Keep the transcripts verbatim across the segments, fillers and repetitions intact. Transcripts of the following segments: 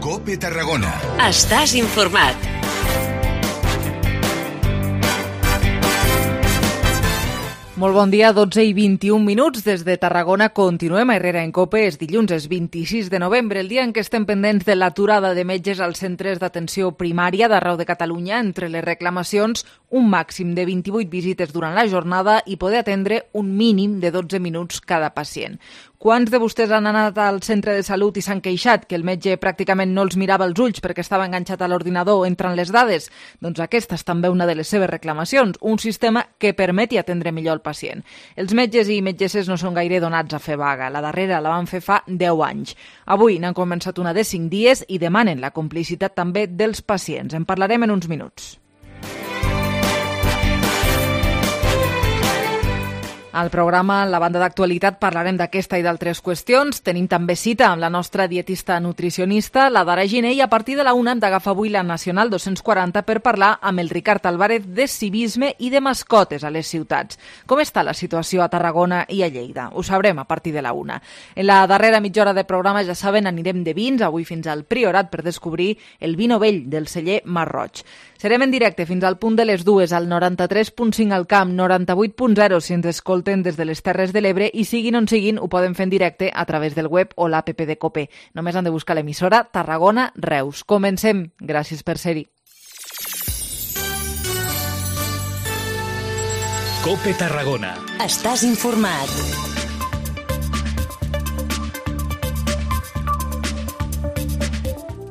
COPE Tarragona. Estàs informat. Molt bon dia, dotze i vint-i-un minuts. Des de Tarragona continuem a Herrera en COPE. És dilluns, és vint-i-sis de novembre, el dia en què estem pendents de l'aturada de metges als centres d'atenció primària d'arreu de Catalunya. Entre les reclamacions, un màxim de vint-i-vuit visites durant la jornada i poder atendre un mínim de dotze minuts cada pacient. Quants de vostès han anat al centre de salut i s'han queixat que el metge pràcticament no els mirava els ulls perquè estava enganxat a l'ordinador entrant les dades? Doncs aquesta és també una de les seves reclamacions, un sistema que permeti atendre millor el pacient. Els metges i metgesses no són gaire donats a fer vaga. La darrera la van fer fa deu anys. Avui n'han començat una de cinc dies i demanen la complicitat també dels pacients. En parlarem en uns minuts. Al programa, en la banda d'actualitat, parlarem d'aquesta i d'altres qüestions. Tenim també cita amb la nostra dietista nutricionista, la Dara Giner, i a partir de la una hem d'agafar avui la Nacional dos-cents quaranta per parlar amb el Ricard Álvarez de civisme i de mascotes a les ciutats. Com està la situació a Tarragona i a Lleida? Ho sabrem a partir de la una. En la darrera mitja hora de programa, ja saben, anirem de vins, avui fins al Priorat, per descobrir el vi novell del celler Marroig. Serem en directe fins al punt de les dues, al noranta-tres punt cinc al Camp, noranta-vuit punt zero si ens escolten des de les Terres de l'Ebre, i siguin on siguin, ho poden fer en directe a través del web o l'app de COPE. Només han de buscar l'emissora Tarragona Reus. Comencem. Gràcies per ser-hi. COPE Tarragona. Estàs informat.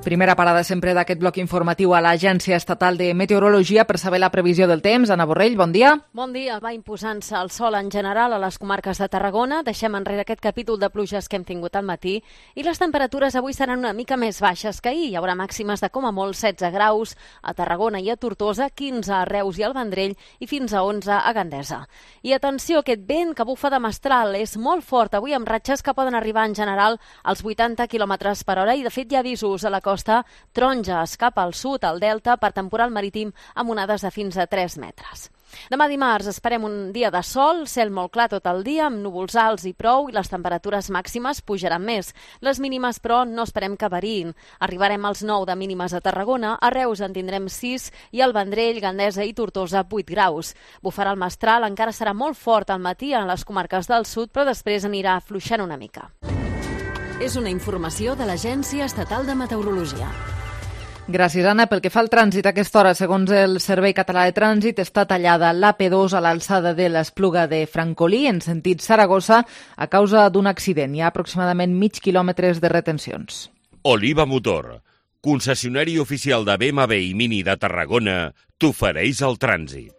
Primera parada sempre d'aquest bloc informatiu a l'Agència Estatal de Meteorologia per saber la previsió del temps. Anna Borrell, bon dia. Bon dia. Va imposant-se el sol en general a les comarques de Tarragona. Deixem enrere aquest capítol de pluges que hem tingut al matí i les temperatures avui seran una mica més baixes que ahir. Hi haurà màximes de com a molt setze graus a Tarragona i a Tortosa, quinze a Reus i al Vendrell i fins a onze a Gandesa. I atenció, aquest vent que bufa de mestral és molt fort avui, amb ratxes que poden arribar en general als vuitanta quilòmetres per hora i de fet hi ha avisos a la costa taronges cap al sud, al delta, per temporal marítim amb onades de fins a tres metres. Demà dimarts esperem un dia de sol, cel molt clar tot el dia, amb núvols alts i prou, i les temperatures màximes pujaran més. Les mínimes, però, no esperem que variïn. Arribarem als nou de mínimes a Tarragona, a Reus en tindrem sis i al Vendrell, Gandesa i Tortosa vuit graus. Bufarà el mestral, encara serà molt fort al matí en les comarques del sud, però després anirà afluixant una mica. És una informació de l'Agència Estatal de Meteorologia. Gràcies, Anna. Pel que fa al trànsit, a aquesta hora, segons el Servei Català de Trànsit, està tallada l'A P dos a l'alçada de l'Espluga de Francolí, en sentit Saragossa, a causa d'un accident. Hi ha aproximadament mig quilòmetres de retencions. Oliva Motor, concessionari oficial de B M W i Mini de Tarragona, t'ofereix el trànsit.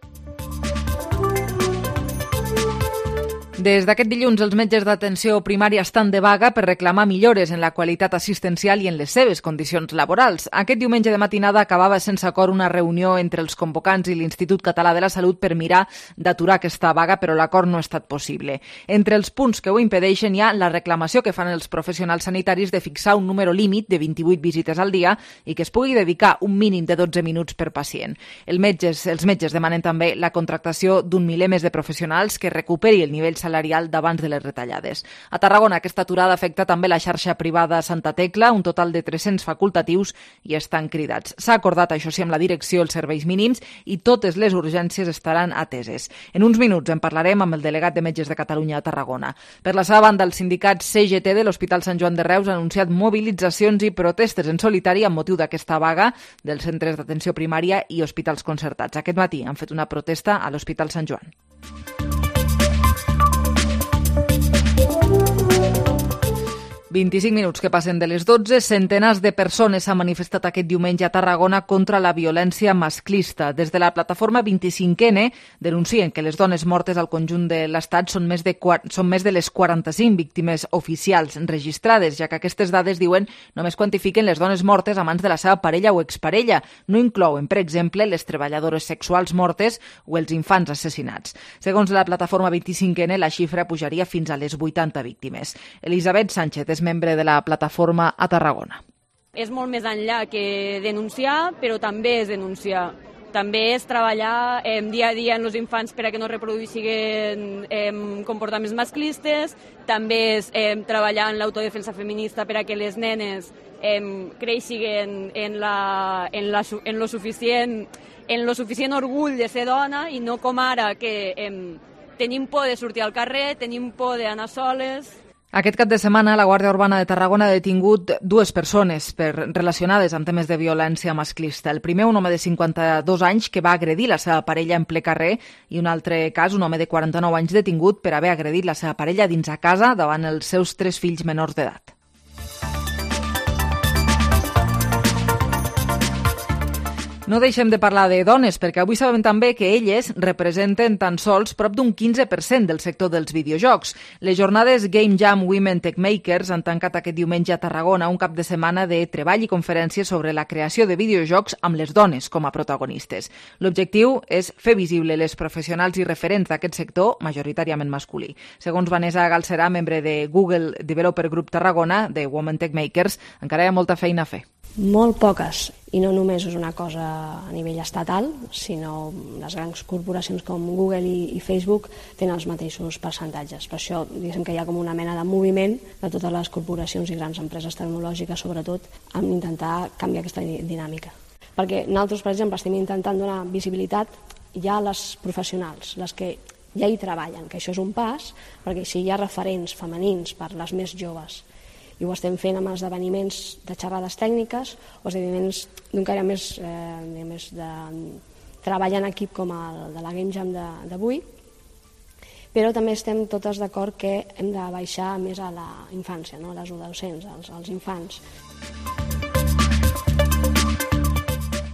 Des d'aquest dilluns, els metges d'atenció primària estan de vaga per reclamar millores en la qualitat assistencial i en les seves condicions laborals. Aquest diumenge de matinada acabava sense acord una reunió entre els convocants i l'Institut Català de la Salut per mirar d'aturar aquesta vaga, però l'acord no ha estat possible. Entre els punts que ho impedeixen hi ha la reclamació que fan els professionals sanitaris de fixar un número límit de vint-i-vuit visites al dia i que es pugui dedicar un mínim de dotze minuts per pacient. Els metges, els metges demanen també la contractació d'un miler més de professionals que recuperi el nivell salarial d'abans de les retallades. A Tarragona, aquesta aturada afecta també la xarxa privada Santa Tecla, un total de tres-cents facultatius i estan cridats. S'ha acordat, això sí, amb la direcció els serveis mínims i totes les urgències estaran ateses. En uns minuts en parlarem amb el delegat de Metges de Catalunya a Tarragona. Per la seva banda, el sindicat C G T de l'Hospital Sant Joan de Reus ha anunciat mobilitzacions i protestes en solitari amb motiu d'aquesta vaga dels centres d'atenció primària i hospitals concertats. Aquest matí han fet una protesta a l'Hospital Sant Joan. vint-i-cinc minuts que passen de les dotze, centenars de persones s'han manifestat aquest diumenge a Tarragona contra la violència masclista. Des de la plataforma vint-i-cinc ena denuncien que les dones mortes al conjunt de l'Estat són més de, són més de les quaranta-cinc víctimes oficials registrades, ja que aquestes dades, diuen, només quantifiquen les dones mortes a mans de la seva parella o exparella. No inclouen, per exemple, les treballadores sexuals mortes o els infants assassinats. Segons la plataforma vint-i-cinc ena, la xifra pujaria fins a les vuitanta víctimes. Elisabet Sánchez és membre de la plataforma a Tarragona. És molt més enllà que denunciar, però també és denunciar. També és treballar eh, dia a dia en els infants per a que no reproduïssin eh, comportaments masclistes, també és eh, treballar en l'autodefensa feminista per a que les nenes eh, creixin en, la, en, la, en, lo suficient, en lo suficient orgull de ser dona i no com ara que eh, tenim por de sortir al carrer, tenim por d'anar soles. Aquest cap de setmana, la Guàrdia Urbana de Tarragona ha detingut dues persones per, relacionades amb temes de violència masclista. El primer, un home de cinquanta-dos anys que va agredir la seva parella en ple carrer, i un altre cas, un home de quaranta-nou anys detingut per haver agredit la seva parella dins a casa davant els seus tres fills menors d'edat. No deixem de parlar de dones, perquè avui sabem també que elles representen tan sols prop d'un quinze per cent del sector dels videojocs. Les jornades Game Jam Women Tech Makers han tancat aquest diumenge a Tarragona un cap de setmana de treball i conferències sobre la creació de videojocs amb les dones com a protagonistes. L'objectiu és fer visible les professionals i referents d'aquest sector, majoritàriament masculí. Segons Vanessa Galcerà, membre de Google Developer Group Tarragona, de Women Tech Makers, encara hi ha molta feina a fer. Molt poques, i no només és una cosa a nivell estatal, sinó les grans corporacions com Google i, i Facebook tenen els mateixos percentatges. Per això diguem que hi ha com una mena de moviment de totes les corporacions i grans empreses tecnològiques, sobretot, amb intentar canviar aquesta dinàmica. Perquè nosaltres, per exemple, estem intentant donar visibilitat ja a les professionals, les que ja hi treballen, que això és un pas, perquè si hi ha referents femenins per les més joves, i ho estem fent amb esdeveniments de xerrades tècniques o esdeveniments d'un caire més, eh, més de treball en equip com el de la Game Jam d'avui, però també estem totes d'acord que hem de baixar més a la infància, no? A les adolescents, als, als infants.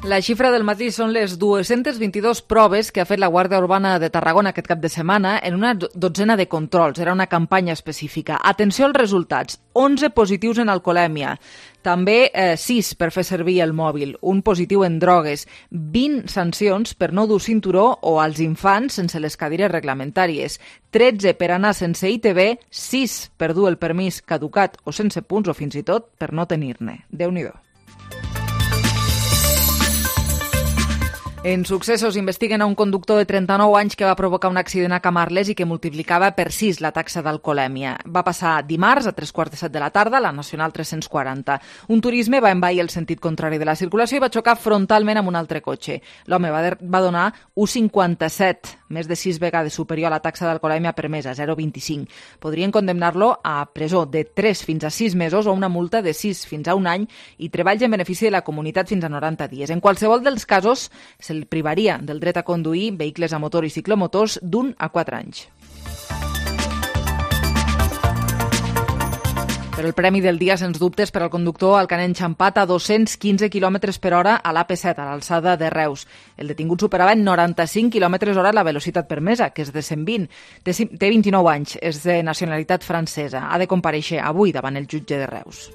La xifra del matí són les dues-centes vint-i-dues proves que ha fet la Guàrdia Urbana de Tarragona aquest cap de setmana en una dotzena de controls. Era una campanya específica. Atenció als resultats. onze positius en alcoholèmia. També eh, sis per fer servir el mòbil. Un positiu en drogues. vint sancions per no dur cinturó o als infants sense les cadires reglamentàries. tretze per anar sense I T B. sis per dur el permís caducat o sense punts o fins i tot per no tenir-ne. Déu-n'hi-do. En Successos investiguen a un conductor de trenta-nou anys que va provocar un accident a Camarles i que multiplicava per sis la taxa d'alcoholèmia. Va passar dimarts a tres quarts de set de la tarda a la Nacional tres-cents quaranta. Un turisme va envair el sentit contrari de la circulació i va xocar frontalment amb un altre cotxe. L'home va, de, va donar un cinquanta-set, més de sis vegades superior a la taxa d'alcoholèmia permesa, zero coma vint-i-cinc. Podrien condemnar-lo a presó de tres fins a sis mesos o una multa de sis fins a un any i treballs en benefici de la comunitat fins a noranta dies. En qualsevol dels casos, se'l privaria del dret a conduir vehicles a motor i ciclomotors d'un a quatre anys. Però el premi del dia, sens dubtes, per al conductor al que han enxampat a dos-cents quinze quilòmetres per hora a l'A P set, a l'alçada de Reus. El detingut superava en noranta-cinc quilòmetres hora la velocitat permesa, que és de cent vint. Té vint-i-nou anys, és de nacionalitat francesa. Ha de comparèixer avui davant el jutge de Reus.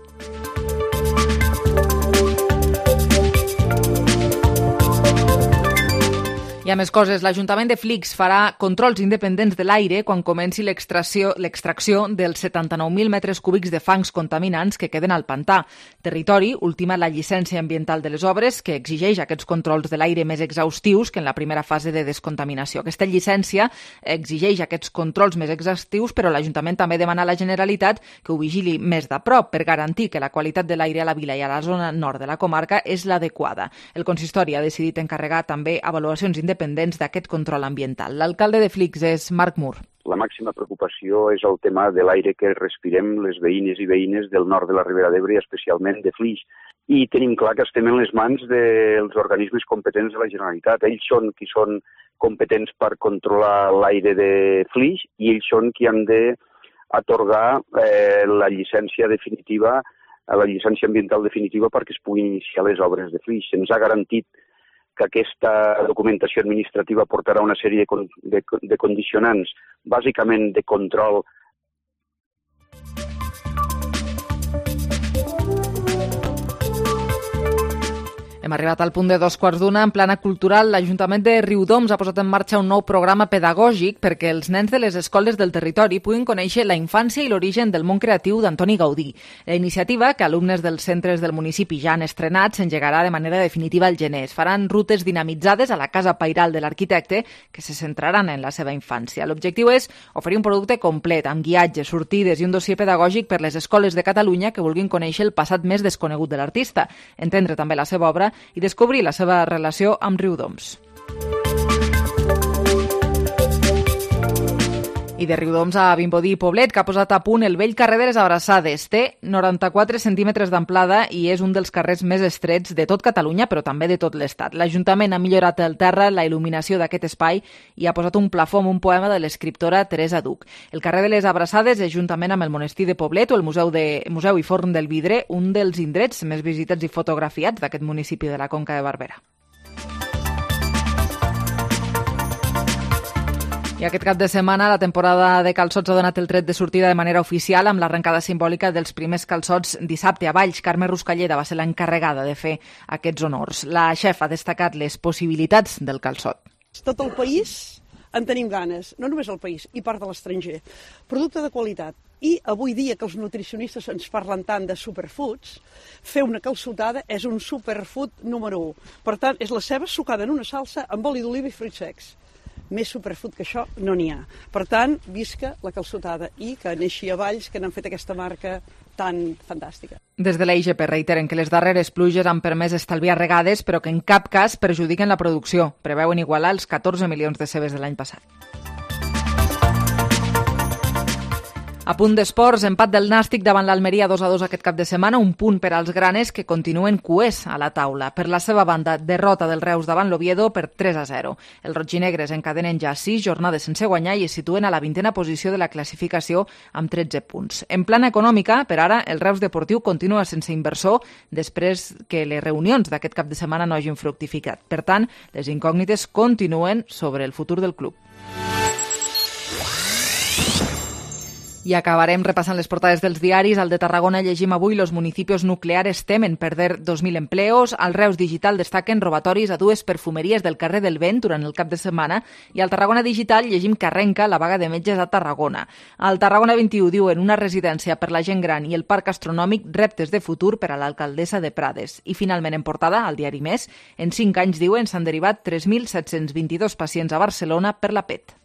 Hi ha més coses. L'Ajuntament de Flix farà controls independents de l'aire quan comenci l'extracció l'extracció dels setanta-nou mil metres cúbics de fangs contaminants que queden al pantà. Territori ultima la llicència ambiental de les obres que exigeix aquests controls de l'aire més exhaustius que en la primera fase de descontaminació. Aquesta llicència exigeix aquests controls més exhaustius, però l'Ajuntament també demana a la Generalitat que ho vigili més de prop per garantir que la qualitat de l'aire a la vila i a la zona nord de la comarca és l'adequada. El consistori ha decidit encarregar també avaluacions independents dependents d'aquest control ambiental. L'alcalde de Flix és Marc Mur. La màxima preocupació és el tema de l'aire que respirem les veïnes i veïnes del nord de la Ribera d'Ebre i especialment de Flix. I tenim clar que estem en les mans dels organismes competents de la Generalitat. Ells són qui són competents per controlar l'aire de Flix i ells són qui han d'atorgar eh, la llicència definitiva, la llicència ambiental definitiva perquè es puguin iniciar les obres de Flix. Se'ns ha garantit que aquesta documentació administrativa portarà una sèrie de, con de, de condicionants, bàsicament de control. Hem arribat al punt de dos quarts d'una. En plana cultural, l'Ajuntament de Riudoms ha posat en marxa un nou programa pedagògic perquè els nens de les escoles del territori puguin conèixer la infància i l'origen del món creatiu d'Antoni Gaudí. La iniciativa, que alumnes dels centres del municipi ja han estrenat, s'engegarà de manera definitiva al gener. Es faran rutes dinamitzades a la casa pairal de l'arquitecte que se centraran en la seva infància. L'objectiu és oferir un producte complet, amb guiatges, sortides i un dossier pedagògic per les escoles de Catalunya que vulguin conèixer el passat més desconegut de l'artista, entendre també la seva obra i descobrir la seva relació amb Riudoms. I de Riudoms a Vimbodí i Poblet, que ha posat a punt el vell carrer de les Abraçades. Té noranta-quatre centímetres d'amplada i és un dels carrers més estrets de tot Catalunya, però també de tot l'Estat. L'Ajuntament ha millorat el terra, la il·luminació d'aquest espai i ha posat un plafó amb un poema de l'escriptora Teresa Duc. El carrer de les Abraçades és, juntament amb el monestir de Poblet o el Museu, de, Museu i Forn del Vidre, un dels indrets més visitats i fotografiats d'aquest municipi de la Conca de Barberà. I aquest cap de setmana la temporada de calçots ha donat el tret de sortida de manera oficial amb l'arrencada simbòlica dels primers calçots dissabte a Valls. Carme Ruscalleda va ser l'encarregada de fer aquests honors. La xef ha destacat les possibilitats del calçot. Tot el país en tenim ganes, no només el país, i part de l'estranger. Producte de qualitat. I avui dia que els nutricionistes ens parlen tant de superfoods, fer una calçotada és un superfood número u. Per tant, és la ceba sucada en una salsa amb oli d'oliva i fruits secs. Més superfood que això no n'hi ha. Per tant, visca la calçotada i que neixi a Valls, que n'han fet aquesta marca tan fantàstica. Des de l'A I G P reiteren que les darreres pluges han permès estalviar regades, però que en cap cas perjudiquen la producció. Preveuen igualar els catorze milions de cebes de l'any passat. A punt d'esports, empat del Nàstic davant l'Almeria dos a dos aquest cap de setmana, un punt per als granes que continuen cuers a la taula. Per la seva banda, derrota del Reus davant l'Oviedo per tres a zero. Els rotginegres encadenen ja sis jornades sense guanyar i es situen a la vintena posició de la classificació amb tretze punts. En plana econòmica, per ara, el Reus Deportiu continua sense inversor després que les reunions d'aquest cap de setmana no hagin fructificat. Per tant, les incògnites continuen sobre el futur del club. I acabarem repassant les portades dels diaris. Al de Tarragona llegim avui: los municipios nucleares temen perder dos mil empleos. Al Reus Digital destaquen robatoris a dues perfumeries del carrer del Vent durant el cap de setmana. I al Tarragona Digital llegim que arrenca la vaga de metges a Tarragona. Al Tarragona vint-i-u diuen una residència per la gent gran i el parc astronòmic, reptes de futur per a l'alcaldessa de Prades. I finalment en portada, al diari Més, en cinc anys, diuen, s'han derivat tres mil set-cents vint-i-dos pacients a Barcelona per la P E T.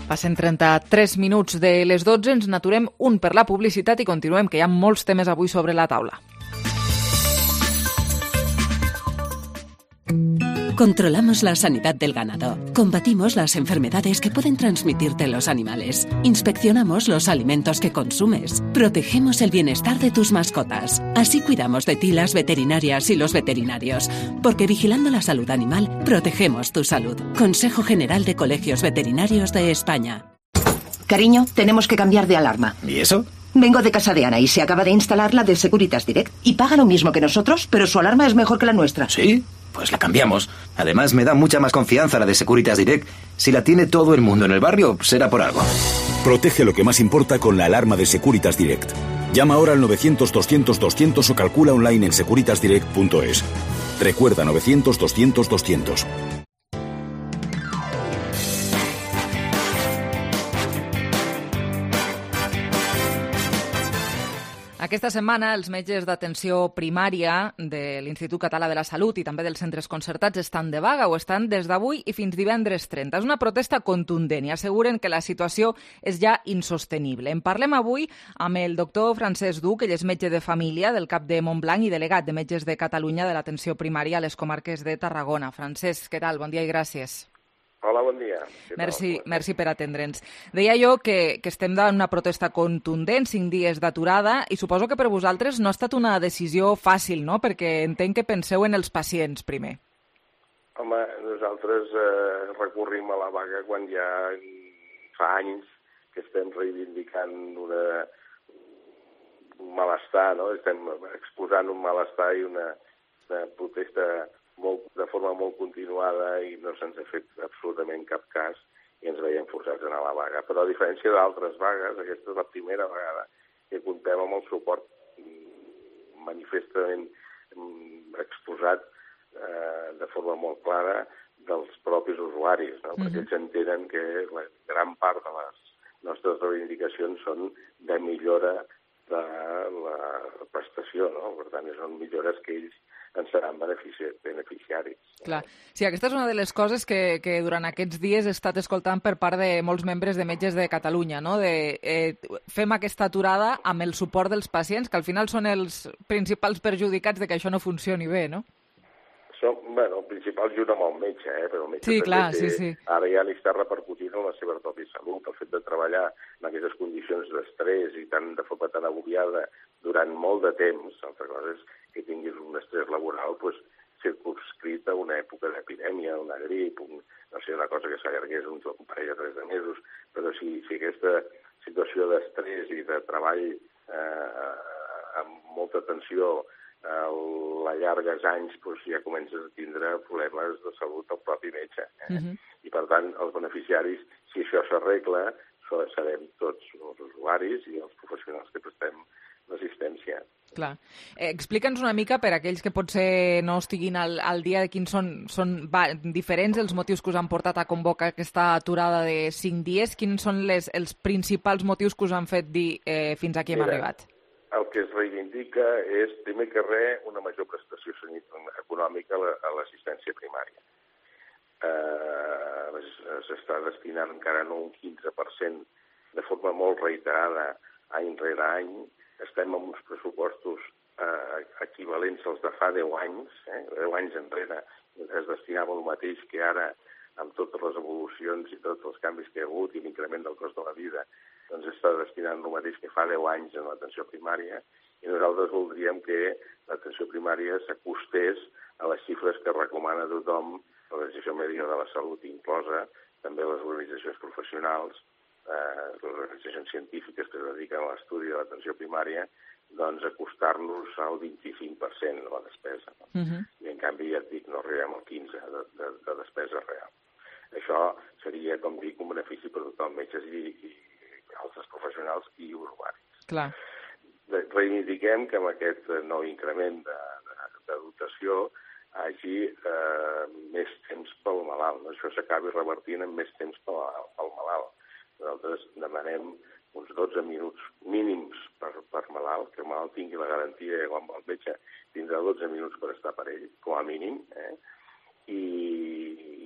Passen trenta-tres minuts de les dotze, ens n'aturem un per la publicitat i continuem, que hi ha molts temes avui sobre la taula. Controlamos la sanidad del ganado. Combatimos las enfermedades que pueden transmitirte los animales. Inspeccionamos los alimentos que consumes. Protegemos el bienestar de tus mascotas. Así cuidamos de ti las veterinarias y los veterinarios. Porque vigilando la salud animal, protegemos tu salud. Consejo General de Colegios Veterinarios de España. Cariño, tenemos que cambiar de alarma. ¿Y eso? Vengo de casa de Ana y se acaba de instalar la de Securitas Direct. Y paga lo mismo que nosotros, pero su alarma es mejor que la nuestra. ¿Sí? Pues la cambiamos. Además, me da mucha más confianza la de Securitas Direct. Si la tiene todo el mundo en el barrio, será por algo. Protege lo que más importa con la alarma de Securitas Direct. Llama ahora al novecientos doscientos doscientos o calcula online en securitas direct punto es. Recuerda, novecientos doscientos doscientos. Aquesta setmana els metges d'atenció primària de l'Institut Català de la Salut i també dels centres concertats estan de vaga o estan des d'avui i fins divendres trenta. És una protesta contundent i asseguren que la situació és ja insostenible. En parlem avui amb el doctor Francesc Duc, ell és metge de família del Cap de Montblanc i delegat de Metges de Catalunya de l'atenció primària a les comarques de Tarragona. Francesc, què tal? Bon dia i gràcies. Hola, bon dia. Merci, merci per atendre'ns. Deia jo que, que estem en una protesta contundent, cinc dies d'aturada, i suposo que per vosaltres no ha estat una decisió fàcil, no? Perquè entenc que penseu en els pacients primer. Home, nosaltres eh, recorrim a la vaga quan ja fa anys que estem reivindicant una, un malestar, no? Estem exposant un malestar i una, una protesta molt, de forma molt continuada i no se'ns ha fet absolutament cap cas i ens veiem forçats a anar a la vaga. Però a diferència d'altres vagues, aquesta és la primera vegada que comptem amb el suport manifestament exposat eh, de forma molt clara dels propis usuaris, no? Mm-hmm. Perquè ells entenen que la gran part de les nostres reivindicacions són de millora de la prestació, no? Per tant, són millores que ells en seran benefici beneficiaris. Clar. Sí, aquesta és una de les coses que, que durant aquests dies he estat escoltant per part de molts membres de Metges de Catalunya, no? De, eh, fem aquesta aturada amb el suport dels pacients, que al final són els principals perjudicats de que això no funcioni bé, no? Som, bueno, el principal junt amb el metge, eh? Però el metge sí, clar, té, sí, sí. Ara ja li està repercutint en la seva pròpia salut. El fet de treballar en aquestes condicions d'estrès i tant de forma tan agobiada durant molt de temps, altra cosa és que tinguis un estrès laboral pues, circunscrit a una època d'epidèmia, una grip, un, no sé, una cosa que s'allargués un, un parell o tres de mesos, però si, si aquesta situació d'estrès i de treball eh, amb molta tensió a la llargues anys doncs, ja comences a tindre problemes de salut al propi metge. Eh? Uh-huh. I, per tant, els beneficiaris, si això s'arregla, serem tots els usuaris i els professionals que prestem l'assistència. Clar. Eh, Explica'ns una mica, per aquells que potser no estiguin al, al dia, de quins són, són va, diferents els motius que us han portat a convocar aquesta aturada de cinc dies. Quins són les, els principals motius que us han fet dir eh, fins aquí hem Mira, arribat? El que es reivindica és, primer que res, una major prestació econòmica a l'assistència primària. Eh, S'està destinant encara no un quinze per cent de forma molt reiterada any rere any. Estem amb uns pressupostos eh, equivalents als de fa deu anys. Eh? deu anys enrere es destinava el mateix que ara, amb totes les evolucions i tots els canvis que hi ha hagut i l'increment del cost de la vida, doncs està destinant el mateix que fa deu anys en l'atenció primària, i nosaltres voldríem que l'atenció primària s'acostés a les xifres que recomana tothom, l'Organització Mèdica de la Salut inclosa, també les organitzacions professionals, eh, les organitzacions científiques que es dediquen a l'estudi de l'atenció primària, doncs acostar-nos al vint-i-cinc per cent de la despesa. No? Uh-huh. I en canvi, ja et dic, no arribem al quinze per cent de, de, de despesa real. Això seria, com dic, un benefici per tothom, metges i, i altres professionals i usuaris. Clar. Reivindiquem que amb aquest nou increment de, de, de dotació hagi eh, més temps pel malalt. No? Això s'acabi revertint en més temps pel, pel malalt. Nosaltres demanem uns dotze minuts mínims per, per malalt, que el malalt tingui la garantia que quan el metge tindrà dotze minuts per estar per ell, com a mínim, eh? I,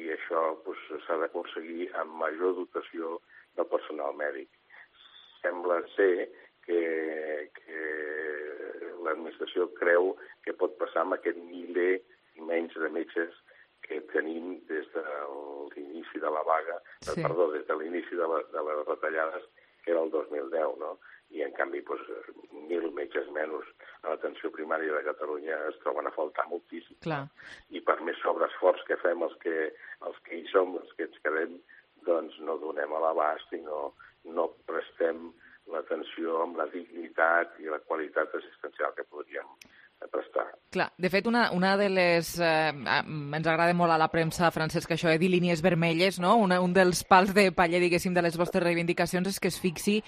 i això pues, s'ha d'aconseguir amb major dotació del personal mèdic. Sembla ser que, que l'administració creu que pot passar amb aquest miler i menys de metges que tenim des de l'inici de la vaga, sí. perdó, des de l'inici de, la, de les retallades, que era el dos mil deu, no? I en canvi, doncs, mil metges menys a l'atenció primària de Catalunya es troben a faltar moltíssim. Clar. I per més sobreesforç que fem els que, els que hi som, els que ens quedem, doncs no donem a l'abast i no, no prestem l'atenció amb la dignitat i la qualitat assistencial que podríem prestar. Clar, de fet, una, una de les... Eh, ens agrada molt a la premsa, Francesc, això de dir línies vermelles, no? Una, un dels pals de paller, diguéssim, de les vostres reivindicacions és que es fixi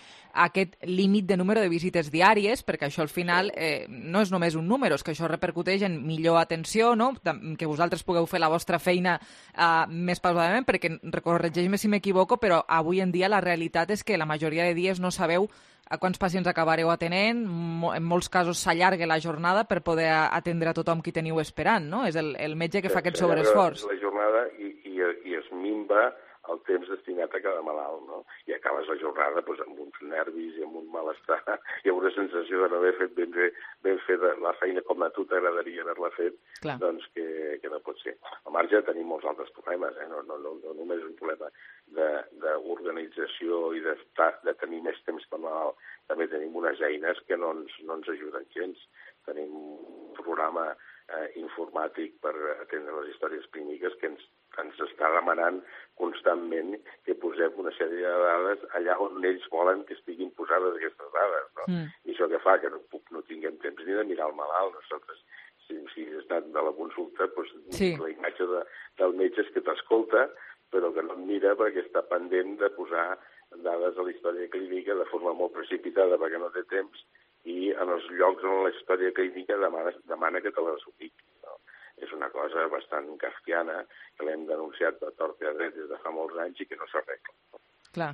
aquest límit de número de visites diàries, perquè això al final eh, no és només un número, és que això repercuteix en millor atenció, no? Que vosaltres pugueu fer la vostra feina eh, més pausadament, perquè, corregeix-me si m'equivoco, però avui en dia la realitat és que la majoria de dies no sabeu a quants pacients acabareu atenent, en molts casos s'allarga la jornada per poder atendre a tothom qui teniu esperant, no? És el, el metge que fa aquest sobreesforç. La jornada i, i, i es minva el temps destinat a cada malalt, no? I acabes la jornada doncs, amb uns nervis i amb un malestar i amb una sensació de no haver fet ben, bé, ben fet la feina com a tu t'agradaria haver-la fet, Clar. doncs que, que no pot ser. Al marge tenim molts altres problemes, eh? no, no, no, no només un problema d'organització i de, de tenir més temps per malalt, també tenim unes eines que no ens, no ens ajuden gens. Tenim un programa eh, informàtic per atendre les històries clíniques que ens, ens està demanant constantment que posem una sèrie de dades allà on ells volen que estiguin posades aquestes dades. No? Mm. I això que fa que no, no tinguem temps ni de mirar el malalt. Nosaltres, si, si has anat de la consulta, doncs, sí. la imatge de, del metge és que t'escolta, però que no et mira perquè està pendent de posar dades a la història clínica de forma molt precipitada perquè no té temps, i en els llocs on la història clínica demana, demana que te les ubiqui. No? És una cosa bastant kafkiana que l'hem denunciat a tort i a dret des de fa molts anys i que no s'arregla. Clar.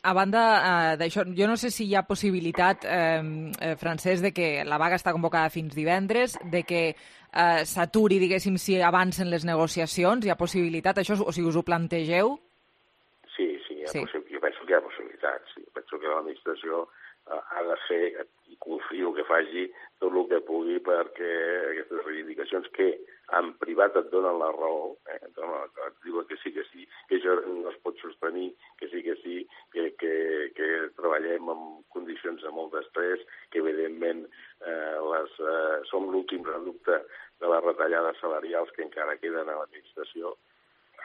A banda eh, d'això, jo no sé si hi ha possibilitat, eh, eh, Francesc, de que la vaga està convocada fins divendres, de que eh, s'aturi, diguéssim, si avancen les negociacions. Hi ha possibilitat, això, o sigui, us ho plantegeu? Sí, sí, hi ha sí. jo penso que hi ha possibilitat. Sí. Penso que l'administració eh, ha de fer, i confio que faci tot el que pugui perquè aquestes reivindicacions que en privat et donen la raó, eh, et diuen que sí, que sí, que això no es pot sostenir, que sí, que sí, que, que, que treballem en condicions de molt d'estrès, que evidentment eh, les, eh, som l'últim reducte de les retallades salarials que encara queden a l'administració.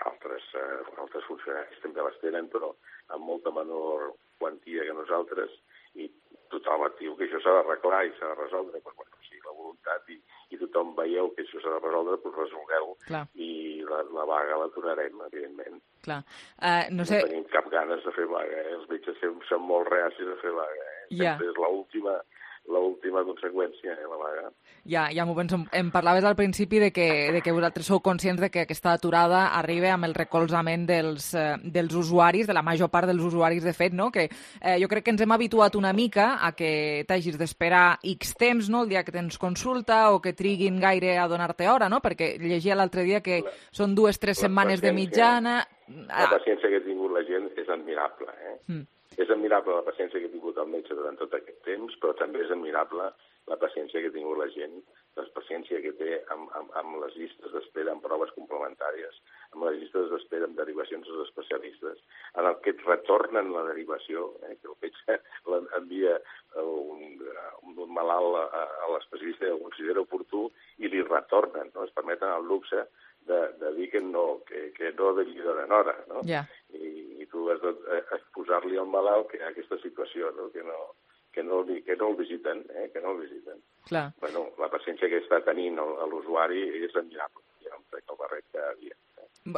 Altres, eh, altres funcionaris també les tenen, però amb molta menor quantia que nosaltres, i tothom et diu que això s'ha d'arreglar i s'ha de resoldre, però bueno, sí, la voluntat i, i tothom veieu que això s'ha de resoldre, doncs resolgueu. Clar. I la, la vaga l'aturarem, evidentment. Clar. Uh, no sé... No tenim cap ganes de fer vaga, eh? Els metges són molt reacis a fer vaga. Eh? Yeah. Sempre és l'última l'última conseqüència, eh, la vaga. Ja, ja m'ho penso. Em parlaves al principi de que, de que vosaltres sou conscients de que aquesta aturada arriba amb el recolzament dels, eh, dels usuaris, de la major part dels usuaris, de fet, no? Que eh, jo crec que ens hem habituat una mica a que t'hagis d'esperar X temps, no?, el dia que tens consulta, o que triguin gaire a donar-te hora, no? Perquè llegia l'altre dia que la, són dues, tres setmanes de mitjana. La paciència que ha tingut la gent és admirable, eh? Mm. És admirable la paciència que ha tingut el metge durant tot aquest temps, però també és admirable la paciència que ha tingut la gent, la paciència que té amb, amb, amb les llistes d'espera, amb proves complementàries, amb les llistes d'espera, amb derivacions als especialistes, en el que et retornen la derivació, eh, que el metge envia un, un malalt a, a l'especialista que el considera oportú i li retornen, no? Es permeten el luxe de, de dir que no, que, que no devia donar hora, no? Yeah. I, i tu has de posar-li al malalt que hi ha aquesta situació, no? Que no, que no, que no el visiten, eh? que no el visiten. Clar. Bueno, la paciència que està tenint l'usuari és admirable, ja em trec el barret cada dia.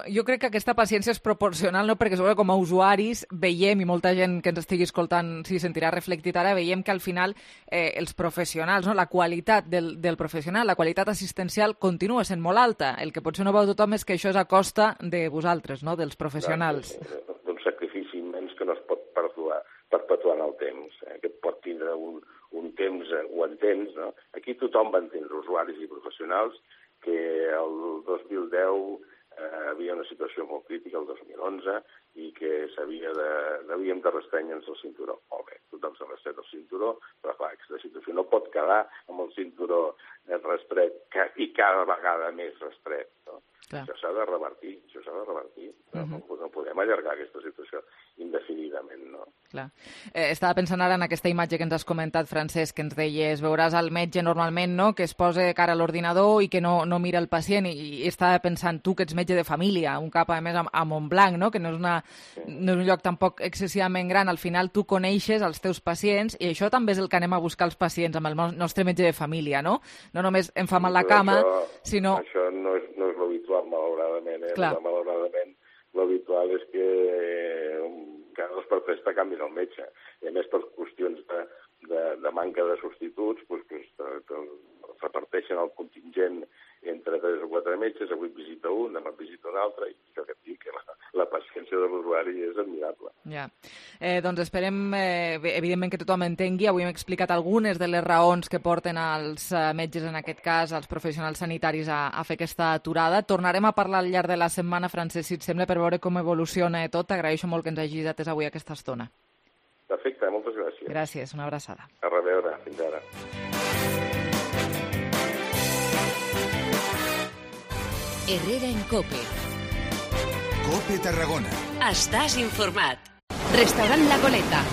Jo crec que aquesta paciència és proporcional, no? Perquè sobre com a usuaris veiem, i molta gent que ens estigui escoltant s'hi sentirà reflectit ara, veiem que al final eh, els professionals, no? La qualitat del, del professional, la qualitat assistencial continua sent molt alta. El que potser no veu tothom és que això és a costa de vosaltres, no? Dels professionals. D'un sacrifici immens que no es pot perpetuar, perpetuar en el temps, eh? Que pot tindre un, un temps, eh, ho entens, no? Aquí tothom va entendre, usuaris i professionals, que el dos mil deu Eh, havia una situació molt crítica el dos mil onze i que s'havia de, havíem de restrènyer-nos el cinturó. Molt bé, tothom s'ha restret el cinturó, però clar, aquesta situació no pot quedar amb el cinturó restret i cada vegada més restret. No? Això s'ha de revertir, això s'ha de revertir. No, uh-huh. no, no podem allargar aquesta situació indefinidament, no? Clar. Eh, estava pensant ara en aquesta imatge que ens has comentat, Francesc, que ens deies, veuràs el metge normalment, no?, que es posa cara a l'ordinador i que no, no mira el pacient, i, i estava pensant, tu que ets metge de família, un cap a més a, a Montblanc, no?, que no és, una, sí. no és un lloc tampoc excessivament gran, al final tu coneixes els teus pacients, i això també és el que anem a buscar els pacients amb el nostre metge de família, no? No només em fa mal la cama, això, sinó... Això no és, no és l'habitual, malauradament, eh? Malauradament, l'habitual és que eh, cada dos per tres te canvien el metge. I a més, per qüestions de, de, de manca de substituts, doncs, pues, te, te reparteixen el contingent entre tres o quatre metges, avui visita un, demà visita un altre, i això que et dic, que la, la paciència de l'usuari és admirable. Ja. Eh, doncs esperem, eh, evidentment, que tothom entengui. Avui hem explicat algunes de les raons que porten els eh, metges, en aquest cas, els professionals sanitaris, a, a fer aquesta aturada. Tornarem a parlar al llarg de la setmana, Francesc, si et sembla, per veure com evoluciona tot. T'agraeixo molt que ens hagis atès avui aquesta estona. Perfecte, moltes gràcies. Gràcies, una abraçada. A reveure, fins ara. Herrera en Cope. Cope Tarragona. Estás informat. Restaurant La Goleta.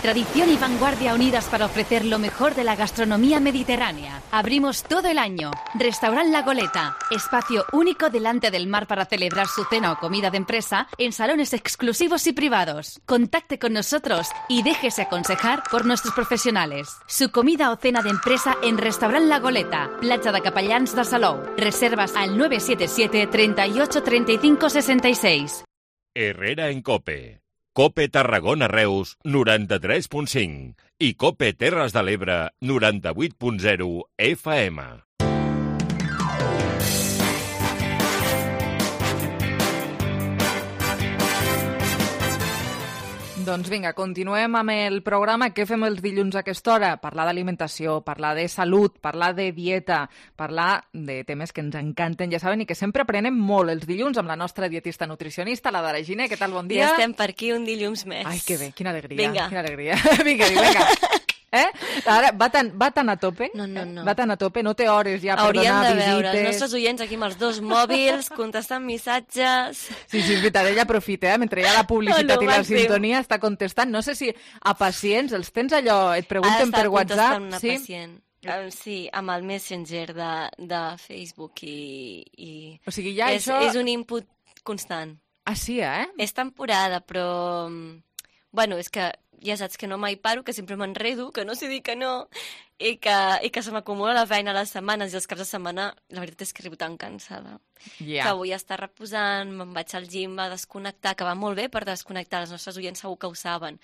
Tradición y vanguardia unidas para ofrecer lo mejor de la gastronomía mediterránea. Abrimos todo el año. Restaurant La Goleta. Espacio único delante del mar para celebrar su cena o comida de empresa en salones exclusivos y privados. Contacte con nosotros y déjese aconsejar por nuestros profesionales. Su comida o cena de empresa en Restaurant La Goleta. Platja de Capellans de Salou. Reservas al nueve siete siete, treinta y ocho, treinta y cinco, sesenta y seis. Herrera en Cope. Cope Tarragona Reus, noranta-tres punt cinc i Cope Terres de l'Ebre, noranta-vuit punt zero F M. Doncs vinga, continuem amb el programa. Què fem els dilluns a aquesta hora? Parlar d'alimentació, parlar de salut, parlar de dieta, parlar de temes que ens encanten, ja saben, i que sempre aprenem molt els dilluns amb la nostra dietista nutricionista, la Dara Giner. Què tal, bon dia? Ja estem per aquí un dilluns més. Ai, que bé, quina alegria. Vinga. Quina alegria. vinga, vinga. Eh? Ara, va tan, va tan a tope? No, no, no. Va tan a tope, no té hores ja per Hauríem donar de visites. veure els nostres oients aquí amb els dos mòbils, contestant missatges... Sí, sí, és veritat, ella aprofita, eh? Mentre hi ha la publicitat No, no, i la màxim. sintonia està contestant. No sé si a pacients els tens allò, et pregunten per WhatsApp. Una sí? pacient. Um, sí, amb el Messenger de, de Facebook i... i... O sigui, ja és, això... És un input constant. Ah, sí, eh? És temporada, però... Bueno, és que ja saps que no mai paro, que sempre m'enredo, que no sé dir que no, i que, i que se m'acumula la feina a les setmanes i els caps de setmana, la veritat és que arribo tan cansada. Yeah. Que vull estar reposant, me'n vaig al gym a desconnectar, que va molt bé per desconnectar, els nostres oients segur que ho saben,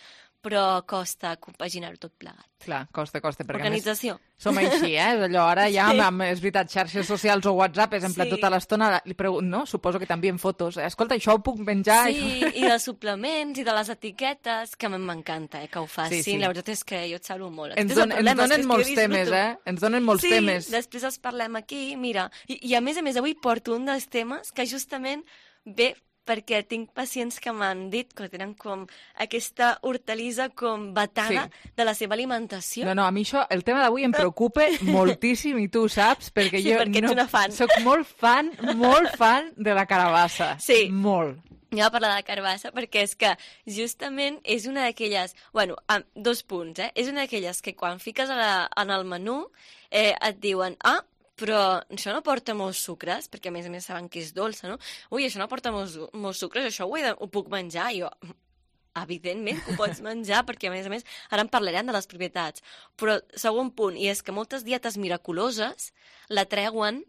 però costa compaginar-ho tot plegat. Clar, costa, costa. Perquè Organització. A més, som així, eh? És allò, ara ja, Sí. amb, amb, és veritat, xarxes socials o WhatsApp, és en plan Sí. tota l'estona, li pregunto, no? Suposo que t'envien fotos. Escolta, això ho puc menjar? Sí, i de suplements i de les etiquetes, que a mi m'encanta, eh, que ho facin. Sí, sí. La veritat és que jo et salvo molt. Ens, Després el don, ens problema és que donen és que molts jo temes, disfruto. eh? Ens donen molts sí, temes. Sí, després els parlem aquí, mira. I, I a més a més, avui porto un dels temes que justament ve perquè tinc pacients que m'han dit que tenen com aquesta hortalissa com vetada Sí. de la seva alimentació. No, no, a mi això, el tema d'avui em preocupa moltíssim, i tu ho saps, perquè Sí, jo perquè ets no, una fan. soc molt fan, molt fan de la carabassa. Sí. Molt. Anem a parlar de la carbassa perquè és que justament és una d'aquelles... Bueno, amb dos punts, eh? És una d'aquelles que quan fiques a la, en el menú eh, et diuen ah, però això no porta molts sucres, perquè a més a més saben que és dolça, no? Ui, això no porta molts, molts sucres, això ho, he de, ho puc menjar? I jo, evidentment que ho pots menjar, perquè a més a més ara en parlarem de les propietats. Però segon punt, i és que moltes dietes miraculoses la treuen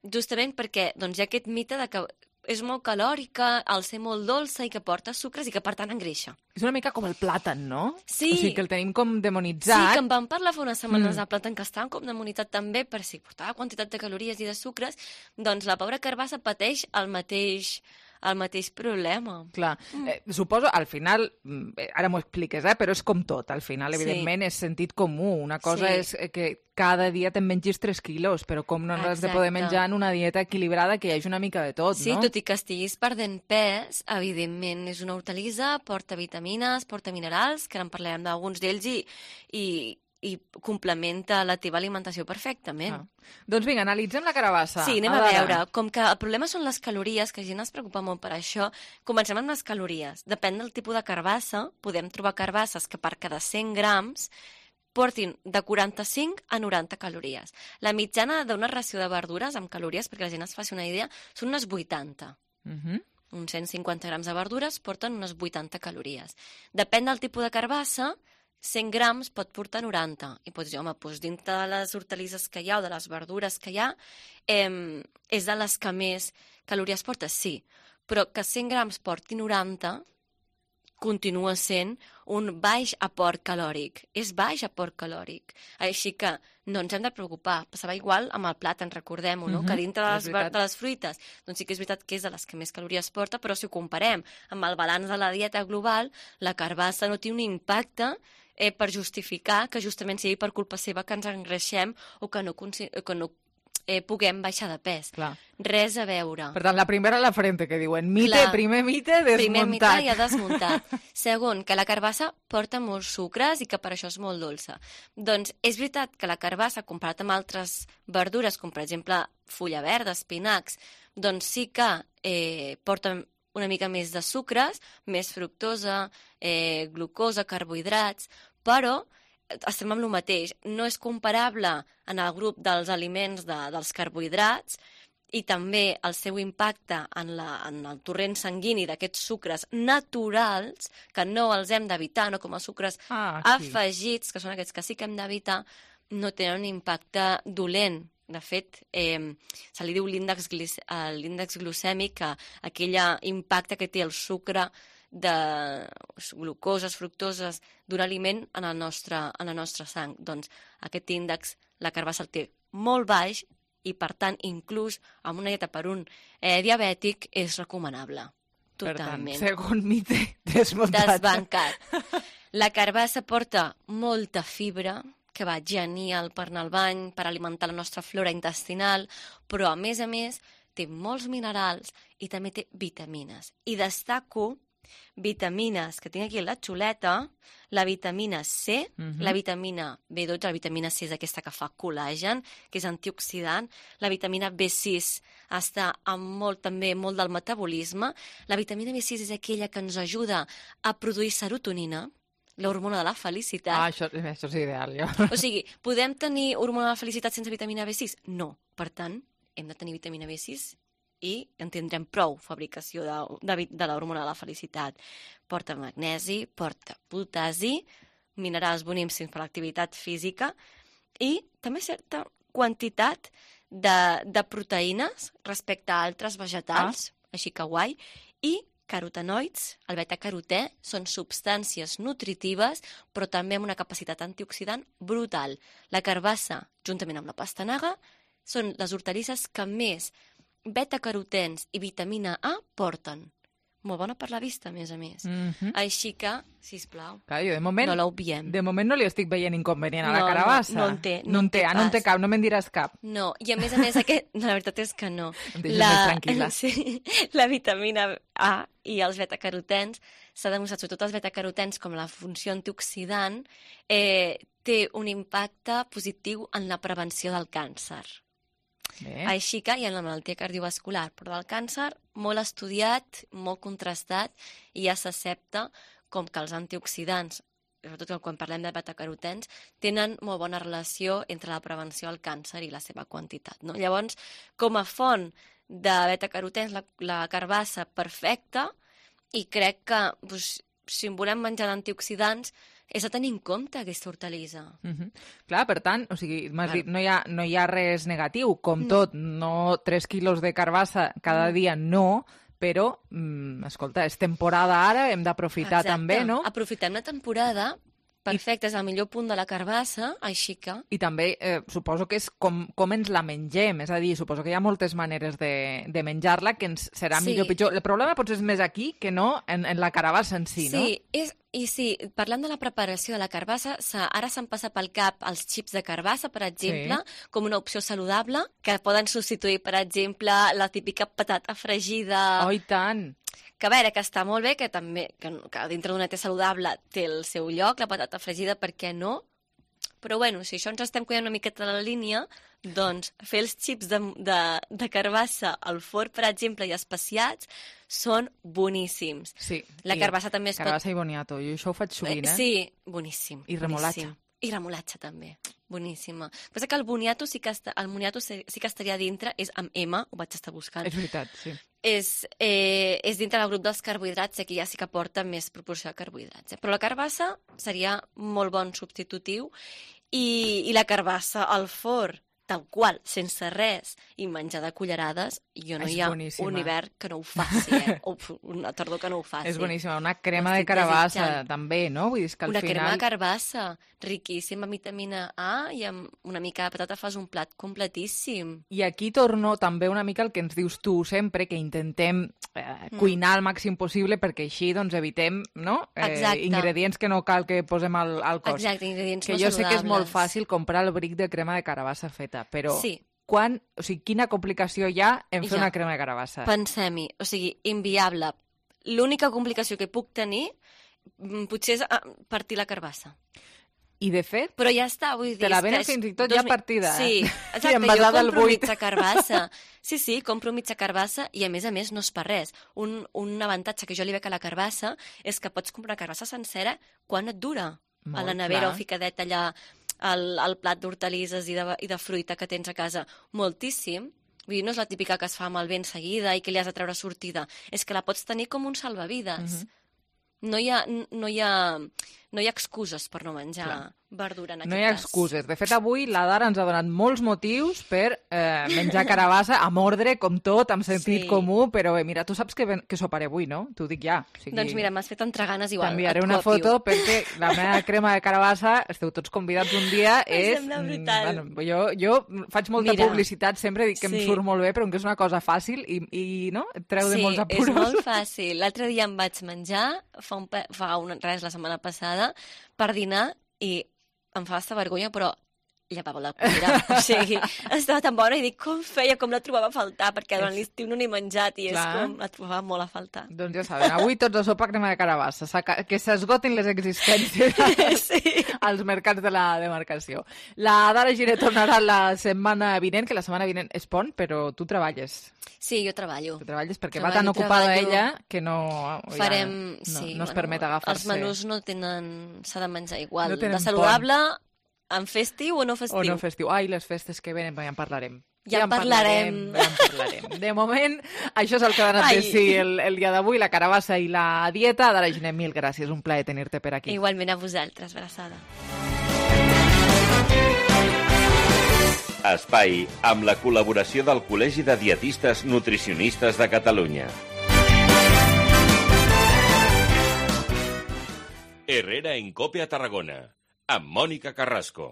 justament perquè doncs, hi ha aquest mite de que és molt calòrica, al ser molt dolça i que porta sucres i que per tant engreixa. És una mica com el plàtan, no? Sí. O sigui, que el tenim com Sí, demonitzat. que en vam parlar fa unes setmanes Mm. del plàtan, que estava com demonitzat també per si portava quantitat de calories i de sucres, doncs la pobra carbassa pateix el mateix, el mateix problema. Clar, eh, suposo, al final, mm, eh, ara m'ho expliques, eh, però és com tot, al final, Sí. evidentment, és sentit comú. Una cosa Sí. és eh, que cada dia te'n mengis tres quilos, però com no n'has de poder Exacte. menjar en una dieta equilibrada que hi hagi una mica de tot, Sí, no? tot i que estiguis perdent pes, evidentment és una hortalissa, porta vitamines, porta minerals, que ara en parlarem d'alguns d'ells, i, i, i complementa la teva alimentació perfectament. Ah. Doncs vinga, analitzem la carabassa. Sí, anem a Adara. veure. Com que el problema són les calories, que gent es preocupa molt per això, comencem amb les calories. Depèn del tipus de carbassa, podem trobar carbasses que per cada cent grams portin de quaranta-cinc a noranta calories. La mitjana d'una ració de verdures amb calories, perquè la gent es faci una idea, són unes vuitanta. Mhm. Uns cent cinquanta grams de verdures porten unes vuitanta calories. Depèn del tipus de carbassa, cent grams pot portar noranta. I pots dir, home, doncs dintre de les hortalisses que hi ha o de les verdures que hi ha, eh, és de les que més calories porta? Sí. Però que cent grams porti noranta continua sent un baix aport calòric. És baix aport calòric. Així que no ens hem de preocupar. Passava igual amb el plàtan, recordem-ho, no? Mhm, Que dintre de és les, veritat. de les fruites, doncs sí que és veritat que és de les que més calories porta, però si ho comparem amb el balanç de la dieta global, la carbassa no té un impacte eh, per justificar que justament sigui per culpa seva que ens engreixem o que no, que no eh, puguem baixar de pes. Clar. Res a veure. Per tant, la primera a la frente, que diuen mite, Clar. primer mite, desmuntat. Primer mite i ha desmuntat. Segon, que la carbassa porta molts sucres i que per això és molt dolça. Doncs és veritat que la carbassa, comparat amb altres verdures, com per exemple fulla verda, espinacs, doncs sí que eh, porta una mica més de sucres, més fructosa, eh, glucosa, carbohidrats, però estem amb el mateix. No és comparable en el grup dels aliments de, dels carbohidrats i també el seu impacte en, la, en el torrent sanguini d'aquests sucres naturals, que no els hem d'evitar, no com els sucres Ah, sí. afegits, que són aquests que sí que hem d'evitar, no tenen un impacte dolent. De fet, eh, se li diu l'índex glic- eh, l'índex glucèmic, que aquell impacte que té el sucre de glucoses, fructoses d'un aliment en el nostre, en la nostra sang. Doncs aquest índex, la carbassa el té molt baix i, per tant, inclús amb una dieta per un eh, diabètic és recomanable. Totalment. Per tant, segon mite desmuntat. Desbancat. La carbassa porta molta fibra, que va genial per anar al bany, per alimentar la nostra flora intestinal, però a més a més té molts minerals i també té vitamines. I destaco vitamines que tinc aquí a la xuleta, la vitamina C, uh-huh. la vitamina B dotze, la vitamina C és aquesta que fa col·làgen, que és antioxidant, la vitamina B sis està amb molt, també molt del metabolisme, la vitamina B sis és aquella que ens ajuda a produir serotonina, l'hormona de la felicitat. Ah, això, això és ideal, jo. O sigui, podem tenir hormona de la felicitat sense vitamina B sis? No. Per tant, hem de tenir vitamina B sis i en tindrem prou fabricació de, de, de l'hormona de la felicitat. Porta magnesi, porta potasi, minerals boníssims per l'activitat física i també certa quantitat de, de proteïnes respecte a altres vegetals, ah. així que guai, i carotenoids, el beta-carotè, són substàncies nutritives, però també amb una capacitat antioxidant brutal. La carbassa, juntament amb la pastanaga, són les hortalisses que més beta-carotens i vitamina A porten. Molt bona per la vista, a més a més. Mm-hmm. Així que, sisplau, Clar, jo de moment, no l'obviem. De moment no li estic veient inconvenient a la no, carabassa. No, no en té. No, no en té, ah, no en té cap, no me'n diràs cap. No, i a més a més, aquest, la veritat és que no. Em deixes la, més tranquil·la. Sí, la vitamina A i els beta-carotens, s'ha demostrat, sobretot els beta-carotens, com la funció antioxidant, eh, té un impacte positiu en la prevenció del càncer. Bé. Així que hi ha la malaltia cardiovascular, però del càncer molt estudiat, molt contrastat, i ja s'accepta com que els antioxidants, sobretot quan parlem de beta-carotens, tenen molt bona relació entre la prevenció del càncer i la seva quantitat. No? Llavors, com a font de beta-carotens, la, la carbassa perfecta, i crec que doncs, si en volem menjar d'antioxidants, és a tenir en compte aquesta hortalissa. Uh-huh. Clar, per tant, o sigui, m'has dit, no hi, ha, no hi ha res negatiu, com no. tot, no tres quilos de carbassa cada no. dia, no, però, mm, escolta, és temporada ara, hem d'aprofitar també, no? Aprofitem la temporada, perfecte, és el millor punt de la carbassa, així que... I també eh, suposo que és com, com ens la mengem, és a dir, suposo que hi ha moltes maneres de, de menjar-la que ens serà sí. millor o pitjor. El problema potser és més aquí que no en, en la carbassa en si, sí, no? Sí, és, i sí, parlant de la preparació de la carbassa, ara s'han passat pel cap els xips de carbassa, per exemple, sí. com una opció saludable, que poden substituir, per exemple, la típica patata fregida... Oh, i tant! Que a veure, que està molt bé, que també que, que dintre d'una dieta saludable té el seu lloc, la patata fregida, per què no? Però bueno, si això ens estem cuidant una miqueta de la línia, doncs fer els xips de, de, de carbassa al forn, per exemple, i especiats, són boníssims. Sí. La carbassa també es carbassa pot... i boniato, jo això ho faig sovint, eh? Sí, boníssim. I remolatxa. Boníssim. I remolatxa també, boníssima. Però que el boniato sí que, està, el boniato sí que estaria dintre, és amb M, ho vaig estar buscant. És veritat, sí. És, eh, és dintre del grup dels carbohidrats, aquí ja sí que porta més proporció de carbohidrats. Eh? Però la carbassa seria molt bon substitutiu i, i la carbassa al forn, tal qual, sense res, i menjar de cullerades, jo no és hi ha boníssima. un hivern que no ho faci, eh? o una tardor que no ho faci. És boníssima, una crema de carbassa desitjant. També, no? Vull dir que al una final... crema de carbassa, riquíssima amb vitamina A i amb una mica de patata fas un plat completíssim. I aquí torno també una mica el que ens dius tu sempre, que intentem eh, cuinar el màxim possible perquè així doncs, evitem no? eh, ingredients que no cal que posem al, al cos. Exacte, ingredients que no jo saludables. Sé que és molt fàcil comprar el bric de crema de carbassa feta, però sí. quan, o sigui, quina complicació hi ha en fer ja. una crema de carbassa? Pensem-hi, o sigui, inviable. L'única complicació que puc tenir potser és partir la carbassa. I de fet, però ja està, vull dir... Te la venen és... fins i tot ja partida. Sí, exacte, jo compro mitja carbassa. Sí, sí, compro mitja carbassa i a més a més no és per res. Un, un avantatge que jo li veig a la carbassa és que pots comprar carbassa sencera quan et dura. Molt, a la nevera clar. O ficadeta allà al, al plat d'hortalisses i, de, i de fruita que tens a casa. Moltíssim. Vull dir, no és la típica que es fa malbé en seguida i que li has de treure sortida. És que la pots tenir com un salvavides. Uh-huh. No hi ha, no hi ha, no hi ha excuses per no menjar, verdura, en aquest No hi ha cas. excuses. De fet, avui la Dara ens ha donat molts motius per eh, menjar carabassa a mordre, com tot, amb sentit Sí. comú, però bé, mira, tu saps que, que soparé avui, no? T'ho dic ja. O sigui, Doncs mira, m'has fet entre ganes igual. t'enviaré et una copio. foto perquè la meva crema de carabassa, esteu tots convidats un dia, Em és... sembla mm, brutal. Bueno, jo, jo faig molta Mira, publicitat, sempre dic que em sí. surt molt bé, però que és una cosa fàcil i, i no? Et treu de Sí, molts apuros. és molt fàcil. L'altre dia em vaig menjar, fa, un, pe- fa un, res, la setmana passada, per dinar, i em fa basta vergonya, però llevava la cullera. O sigui, estava tan bona i dic, com feia, com la trobava a faltar, perquè durant l'estiu no n'he menjat i és Clar. com la trobava molt a faltar. Doncs ja saben, avui tots a sopa crema de carabassa, S'aca- que s'esgotin les existències sí. als mercats de la demarcació. La Dara Giner tornarà la setmana vinent, que la setmana vinent és pont, però tu treballes. Sí, jo treballo. Tu treballes perquè Treballo, va tan ocupada treballo. ella que no... ja Farem... no, sí, no es bueno, permet agafar-se... Els menús no tenen... S'ha de menjar igual. No tenen de saludable, en festiu o no festiu. O no festiu. Ai, les festes que venen, ja en parlarem. Ja en parlarem. Ja en parlarem. De moment, això és el que ha donat Ai. de si el, el dia d'avui, la carabassa i la dieta. Dara Giner, mil gràcies, un plaer tenir-te per aquí. Igualment a vosaltres, abraçada. Espai amb la col·laboració del Col·legi de Dietistes Nutricionistes de Catalunya. Herrera en Cope a Tarragona, amb Mònica Carrasco.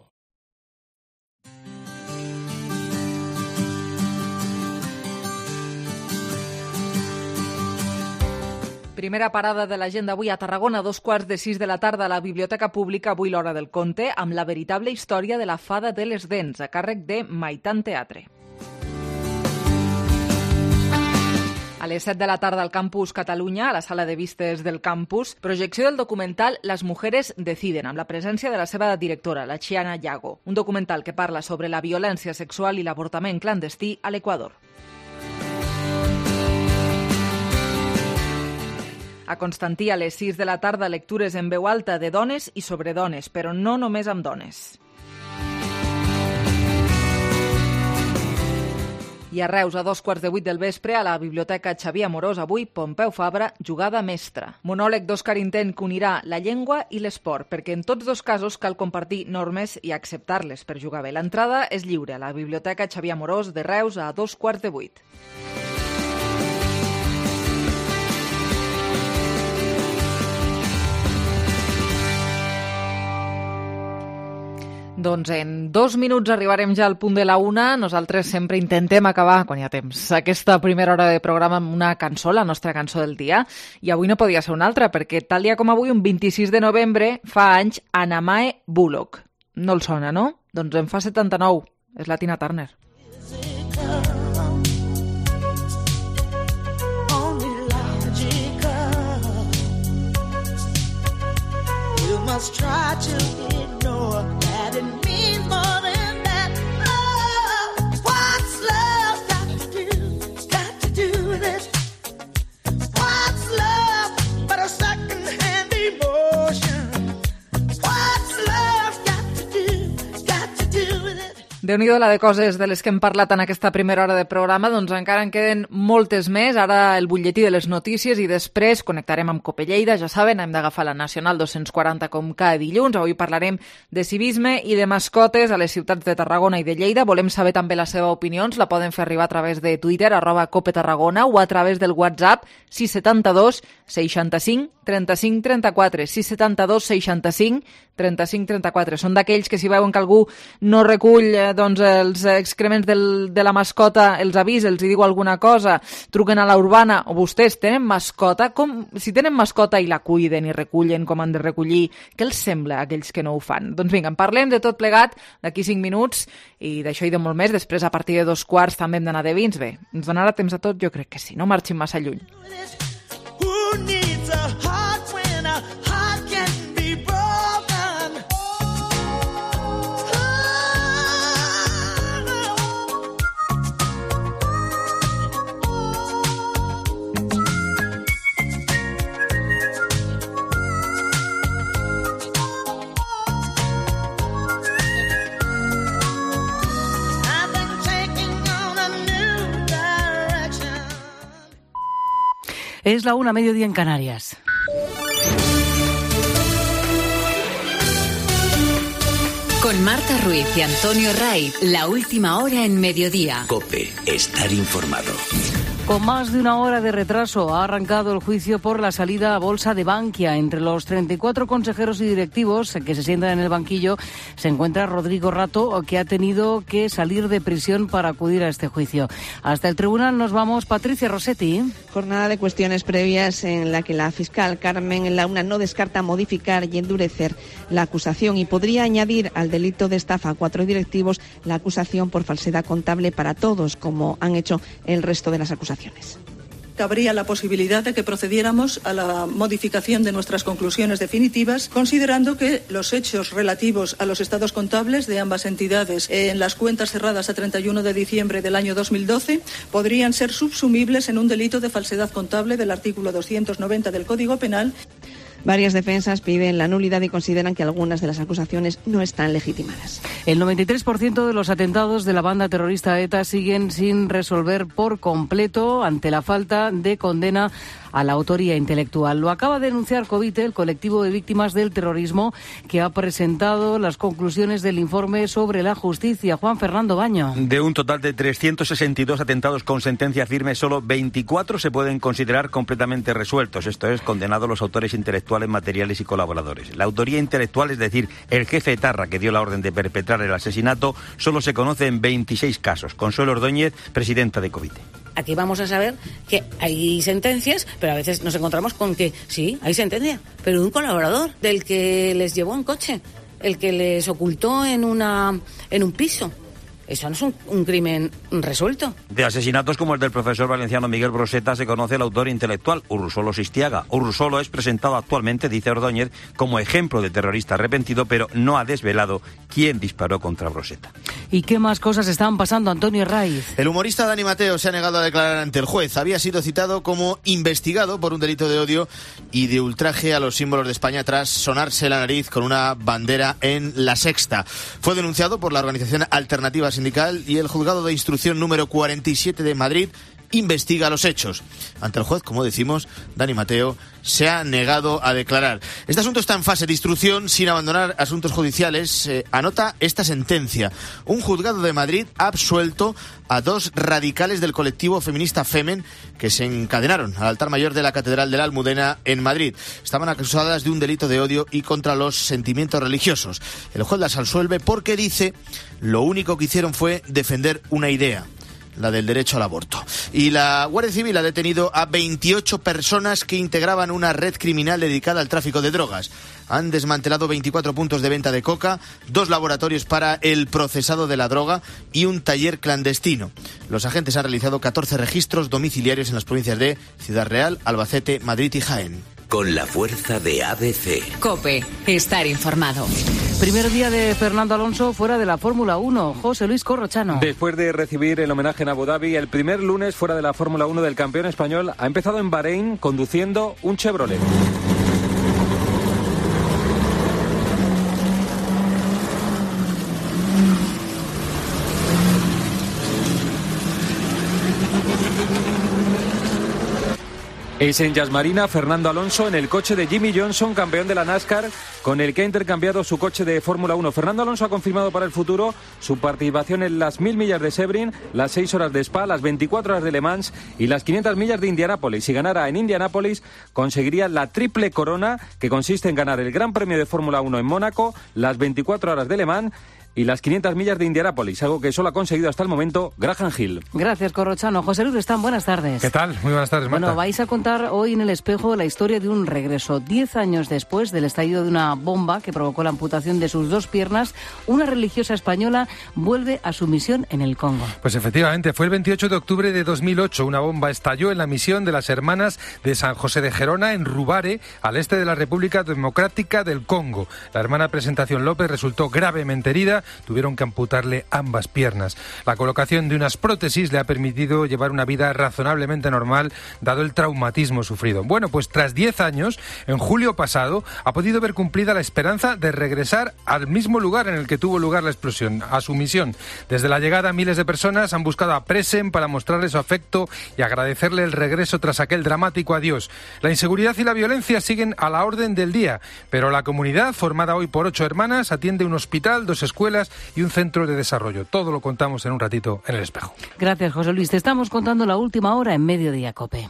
Primera parada de l'agenda avui a Tarragona, a dos quarts de sis de la tarda a la Biblioteca Pública, avui l'Hora del Conte, amb la veritable història de la fada de les dents, a càrrec de Maitan Teatre. A les set de la tarda al Campus Catalunya, a la sala de vistes del campus, projecció del documental Las mujeres deciden, amb la presència de la seva directora, la Chiana Yago. Un documental que parla sobre la violència sexual i l'avortament clandestí a l'Equador. A Constantí, a les sis de la tarda, lectures en veu alta de dones i sobre dones, però no només amb dones. I a Reus, a dos quarts de vuit del vespre, a la Biblioteca Xavier Amorós, avui, Pompeu Fabra, jugada mestra. Monòleg d'Òscar Intent que unirà la llengua i l'esport, perquè en tots dos casos cal compartir normes i acceptar-les per jugar bé. L'entrada és lliure a la Biblioteca Xavier Amorós de Reus a dos quarts de vuit. Doncs en dos minuts arribarem ja al punt de la una. Nosaltres sempre intentem acabar, quan hi ha temps, aquesta primera hora de programa amb una cançó, la nostra cançó del dia. I avui no podia ser una altra, perquè tal dia com avui, un vint-i-sis de novembre, fa anys, Anamae Bullock. No el sona, no? Doncs en fa setanta-nou. És la Tina Turner. Must try to ignore that it means more than that. Oh, what's love got to do, got to do with it? What's love but a second-hand emotion? What's love got to do, got to do with it? Déu-n'hi-do la de coses de les que hem parlat en aquesta primera hora de programa, doncs encara en queden moltes més. Ara el butlletí de les notícies i després connectarem amb Cope Lleida. Ja saben, hem d'agafar la Nacional dos-cents quaranta com cada dilluns. Avui parlarem de civisme i de mascotes a les ciutats de Tarragona i de Lleida. Volem saber també la seva opinió. Ens la poden fer arribar a través de Twitter, arroba Cope Tarragona, o a través del WhatsApp sis setanta dos seixanta-cinc trenta-cinc trenta-quatre. sis setanta dos seixanta-cinc trenta-cinc trenta-quatre. Són d'aquells que si veuen que algú no recull doncs, els excrements del, de la mascota, els avisa, els diu alguna cosa, truquen a la urbana. O vostès tenen mascota? Com, si tenen mascota i la cuiden i recullen com han de recollir, què els sembla a aquells que no ho fan? Doncs vinga, en parlem de tot plegat d'aquí cinc minuts i d'això i de molt més. Després, a partir de dos quarts, també hem d'anar de vins. Bé, ens donarà temps a tot? Jo crec que sí, no marxin massa lluny. Who needs a heart when a heart can be broken? I've been taking on a new direction. Es la una, mediodía en Canarias. Con Marta Ruiz y Antonio Ray, la última hora en mediodía. COPE, estar informado. Con más de una hora de retraso ha arrancado el juicio por la salida a bolsa de Bankia. Entre los treinta y cuatro consejeros y directivos que se sientan en el banquillo se encuentra Rodrigo Rato, que ha tenido que salir de prisión para acudir a este juicio. Hasta el tribunal nos vamos. Patricia Rossetti. Jornada de cuestiones previas en la que la fiscal Carmen Launa no descarta modificar y endurecer la acusación y podría añadir al delito de estafa a cuatro directivos la acusación por falsedad contable para todos, como han hecho el resto de las acusaciones. Cabría la posibilidad de que procediéramos a la modificación de nuestras conclusiones definitivas, considerando que los hechos relativos a los estados contables de ambas entidades en las cuentas cerradas a treinta y uno de diciembre del año dos mil doce podrían ser subsumibles en un delito de falsedad contable del artículo doscientos noventa del Código Penal. Varias defensas piden la nulidad y consideran que algunas de las acusaciones no están legitimadas. El noventa y tres por ciento de los atentados de la banda terrorista ETA siguen sin resolver por completo ante la falta de condena a la autoría intelectual. Lo acaba de denunciar Covite, el colectivo de víctimas del terrorismo, que ha presentado las conclusiones del informe sobre la justicia. Juan Fernando Baño. De un total de trescientos sesenta y dos atentados con sentencia firme, solo veinticuatro se pueden considerar completamente resueltos. Esto es, condenados los autores intelectuales, materiales y colaboradores. La autoría intelectual, es decir, el jefe etarra que dio la orden de perpetrar el asesinato, solo se conoce en veintiséis casos. Consuelo Ordóñez, presidenta de Covite. Aquí vamos a saber que hay sentencias, pero a veces nos encontramos con que sí, hay sentencia, pero de un colaborador, del que les llevó en coche, el que les ocultó en una en un piso. Eso no es un, un crimen resuelto. De asesinatos como el del profesor valenciano Miguel Broseta se conoce el autor intelectual, Urrsolo Sistiaga. Urrsolo es presentado actualmente, dice Ordóñez, como ejemplo de terrorista arrepentido, pero no ha desvelado quién disparó contra Broseta. ¿Y qué más cosas están pasando, Antonio Raiz? El humorista Dani Mateo se ha negado a declarar ante el juez. Había sido citado como investigado por un delito de odio y de ultraje a los símbolos de España tras sonarse la nariz con una bandera en La Sexta. Fue denunciado por la organización Alternativa Sindical y el juzgado de instrucción número cuarenta y siete de Madrid investiga los hechos. Ante el juez, como decimos, Dani Mateo se ha negado a declarar. Este asunto está en fase de instrucción sin abandonar asuntos judiciales. Eh, anota esta sentencia. Un juzgado de Madrid ha absuelto a dos radicales del colectivo feminista Femen que se encadenaron al altar mayor de la Catedral de la Almudena en Madrid. Estaban acusadas de un delito de odio y contra los sentimientos religiosos. El juez las absuelve porque dice lo único que hicieron fue defender una idea, la del derecho al aborto. Y la Guardia Civil ha detenido a veintiocho personas que integraban una red criminal dedicada al tráfico de drogas. Han desmantelado veinticuatro puntos de venta de coca, dos laboratorios para el procesado de la droga y un taller clandestino. Los agentes han realizado catorce registros domiciliarios en las provincias de Ciudad Real, Albacete, Madrid y Jaén. Con la fuerza de A B C. COPE, estar informado. Primer día de Fernando Alonso fuera de la Fórmula uno. José Luis Corrochano. Después de recibir el homenaje en Abu Dhabi, el primer lunes fuera de la Fórmula uno del campeón español ha empezado en Bahrein conduciendo un Chevrolet. Es en Yas Marina Fernando Alonso en el coche de Jimmy Johnson, campeón de la NASCAR, con el que ha intercambiado su coche de Fórmula uno. Fernando Alonso ha confirmado para el futuro su participación en las mil millas de Sebring, las seis horas de Spa, las veinticuatro horas de Le Mans y las quinientas millas de Indianápolis. Si ganara en Indianápolis, conseguiría la triple corona, que consiste en ganar el Gran Premio de Fórmula uno en Mónaco, las veinticuatro horas de Le Mans y las quinientas millas de Indianápolis, algo que solo ha conseguido hasta el momento Graham Hill. Gracias, Corrochano. José Luis Restán, buenas tardes. ¿Qué tal? Muy buenas tardes, Marta. Bueno, vais a contar hoy en El Espejo la historia de un regreso. Diez años después del estallido de una bomba que provocó la amputación de sus dos piernas, una religiosa española vuelve a su misión en el Congo. Pues efectivamente, fue el veintiocho de octubre de dos mil ocho. Una bomba estalló en la misión de las Hermanas de San José de Gerona, en Rubare, al este de la República Democrática del Congo. La hermana Presentación López resultó gravemente herida rodilla, tuvieron que amputarle ambas piernas. La colocación de unas prótesis le ha permitido llevar una vida razonablemente normal, dado el traumatismo sufrido. Bueno, pues tras diez años, en julio pasado, ha podido ver cumplida la esperanza de regresar al mismo lugar en el que tuvo lugar la explosión, a su misión. Desde la llegada, miles de personas han buscado a Presen para mostrarle su afecto y agradecerle el regreso tras aquel dramático adiós. La inseguridad y la violencia siguen a la orden del día, pero la comunidad, formada hoy por ocho hermanas, atiende un hospital, dos escuelas y un centro de desarrollo. Todo lo contamos en un ratito en El Espejo. Gracias, José Luis. Te estamos contando la última hora en Mediodía Cope.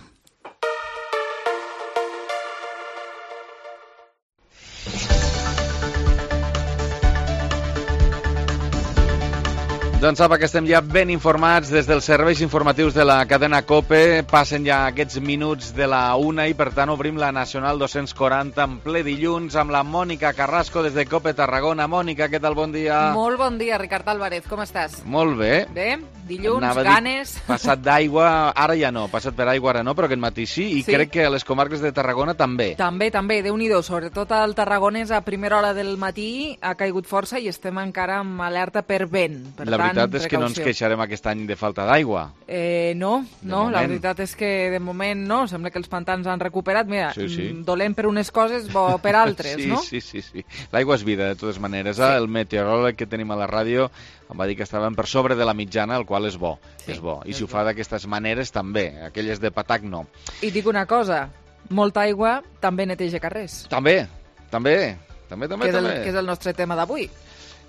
Doncs sap que estem ja ben informats des dels serveis informatius de la cadena COPE. Passen ja aquests minuts de la una i, per tant, obrim la Nacional dos-cents quaranta en ple dilluns amb la Mònica Carrasco des de COPE Tarragona. Mònica, què tal? Bon dia. Molt bon dia, Ricard Álvarez. Com estàs? Molt bé. Bé, dilluns, Anava ganes. Dir, passat d'aigua, ara ja no, passat per aigua ara no, però aquest matí sí, i Sí. crec que a les comarques de Tarragona també. També, també, Déu-n'hi-do. Sobretot al Tarragonès a primera hora del matí ha caigut força i estem encara amb alerta per vent. Per La tant, veritat és que no ens precaució. queixarem aquest any de falta d'aigua. Eh, no, no, moment. la veritat és que de moment no, sembla que els pantans han recuperat. Mira, Sí, sí. mm, dolent per unes coses, bo per altres, sí, no? Sí, sí, sí. L'aigua és vida, de totes maneres. Sí. El meteoròleg que tenim a la ràdio em va dir que estàvem per sobre de la mitjana, el qual és bo. Sí, és bo. I si ho fa d'aquestes maneres, també. Aquelles de patac, no. I dic una cosa, molta aigua també neteja carrers. També, també, també, també. que, és el, també. que és el nostre tema d'avui.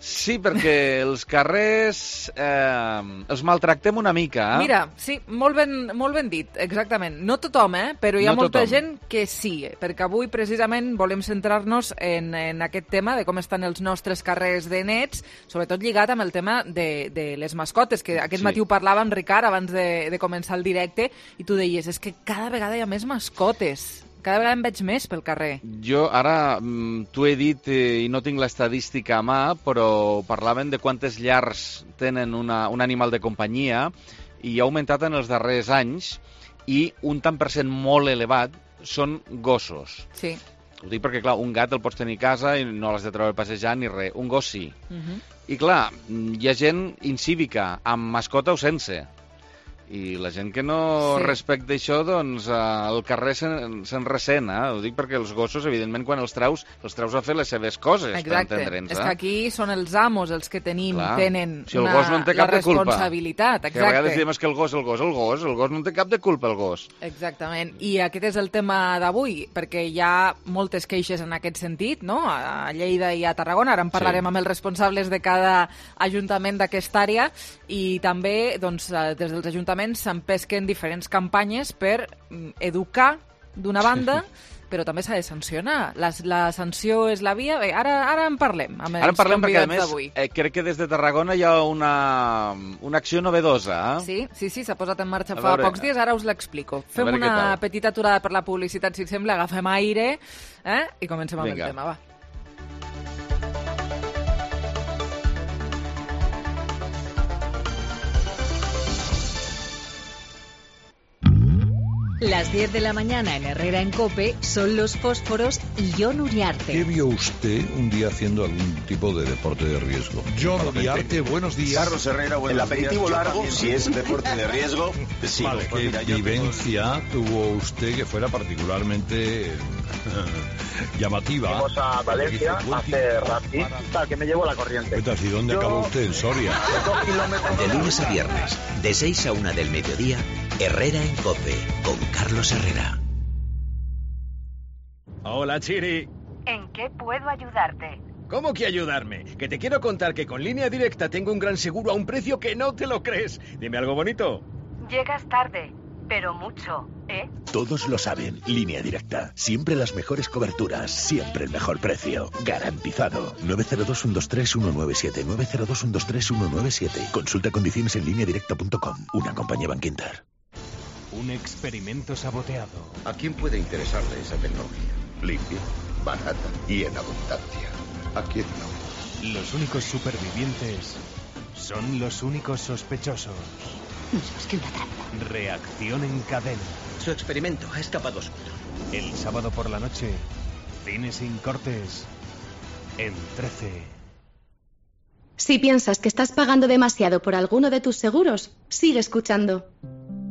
Sí, perquè els carrers eh, els maltractem una mica. Eh? Mira, sí, molt ben, molt ben dit, exactament. No tothom, eh? Però hi ha No molta tothom. gent que sí, perquè avui precisament volem centrar-nos en, en aquest tema de com estan els nostres carrers de nets, sobretot lligat amb el tema de, de les mascotes, que aquest Sí. matí ho parlàvem, Ricard, abans de, de començar el directe, i tu deies, és que cada vegada hi ha més mascotes. Cada vegada en veig més pel carrer. Jo ara mm, t'ho he dit eh, i no tinc l'estadística a mà, però parlaven de quantes llars tenen una, un animal de companyia i ha augmentat en els darrers anys i un tant per cent molt elevat són gossos. Sí. Ho dic perquè, clar, un gat el pots tenir a casa i no l'has de treure passejar ni res. Un gos sí. Uh -huh. I, clar, hi ha gent incívica, amb mascota o sense. I la gent que no Sí. respecta això, doncs eh, al carrer se'n se ressent, eh? Ho dic perquè els gossos, evidentment, quan els treus, els treus a fer les seves coses, Exacte. per entendre'ns. És Eh? que aquí són els amos els que tenim, Clar. tenen Si el una, gos no en té la cap de culpa. responsabilitat. Que a vegades Exacte. diem és que el gos, el gos, el gos, el gos no en té cap de culpa, el gos. Exactament. I aquest és el tema d'avui, perquè hi ha moltes queixes en aquest sentit, no? A Lleida i a Tarragona. Ara en parlarem Sí. amb els responsables de cada ajuntament d'aquesta àrea i també doncs, eh, des dels ajuntaments s'empesquen diferents campanyes per mm, educar d'una banda, però també s'ha de sancionar. La, la sanció és la via. Bé, ara, ara en parlem amb els Ara en parlem perquè, a convidats més, d'avui. eh, crec que des de Tarragona hi ha una, una acció novedosa. Eh? Sí, sí, sí, s'ha posat en marxa A fa veure- pocs dies, ara us l'explico. Fem veure què una tal. petita aturada per la publicitat, si et sembla, agafem aire eh? i comencem amb Vinga. el tema, va. Las diez de la mañana en Herrera en COPE son los fósforos y Jon Uriarte. ¿Qué vio usted un día haciendo algún tipo de deporte de riesgo? Jon Uriarte, buenos días. Carlos Herrera, El aperitivo largo, si es deporte de riesgo, sí. Vale, Pues ¿qué mira, yo vivencia tuvo usted que fuera particularmente llamativa? Fuimos a Valencia a hacer rafting, tal, que me llevó la corriente. Cuentas, ¿y dónde Yo- acabó usted? En Soria. De lunes a viernes, de seis a una del mediodía, Herrera en COPE, con Carlos Herrera. Hola, Chiri. ¿En qué puedo ayudarte? ¿Cómo que ayudarme? Que te quiero contar que con Línea Directa tengo un gran seguro a un precio que no te lo crees. Dime algo bonito. Llegas tarde, pero mucho, ¿eh? Todos lo saben, Línea Directa. Siempre las mejores coberturas, siempre el mejor precio. Garantizado. nueve cero dos, uno dos tres, uno nueve siete. nueve cero dos, uno dos tres, uno nueve siete. Consulta condiciones en línea directa punto com. Una compañía Bankinter. Un experimento saboteado. ¿A quién puede interesarle esa tecnología? Limpia, barata y en abundancia. ¿A quién no? Los únicos supervivientes son los únicos sospechosos. Más que una trampa. Reacción en cadena. Su experimento ha escapado suyo. El sábado por la noche, cine sin cortes, en trece. Si piensas que estás pagando demasiado por alguno de tus seguros, sigue escuchando.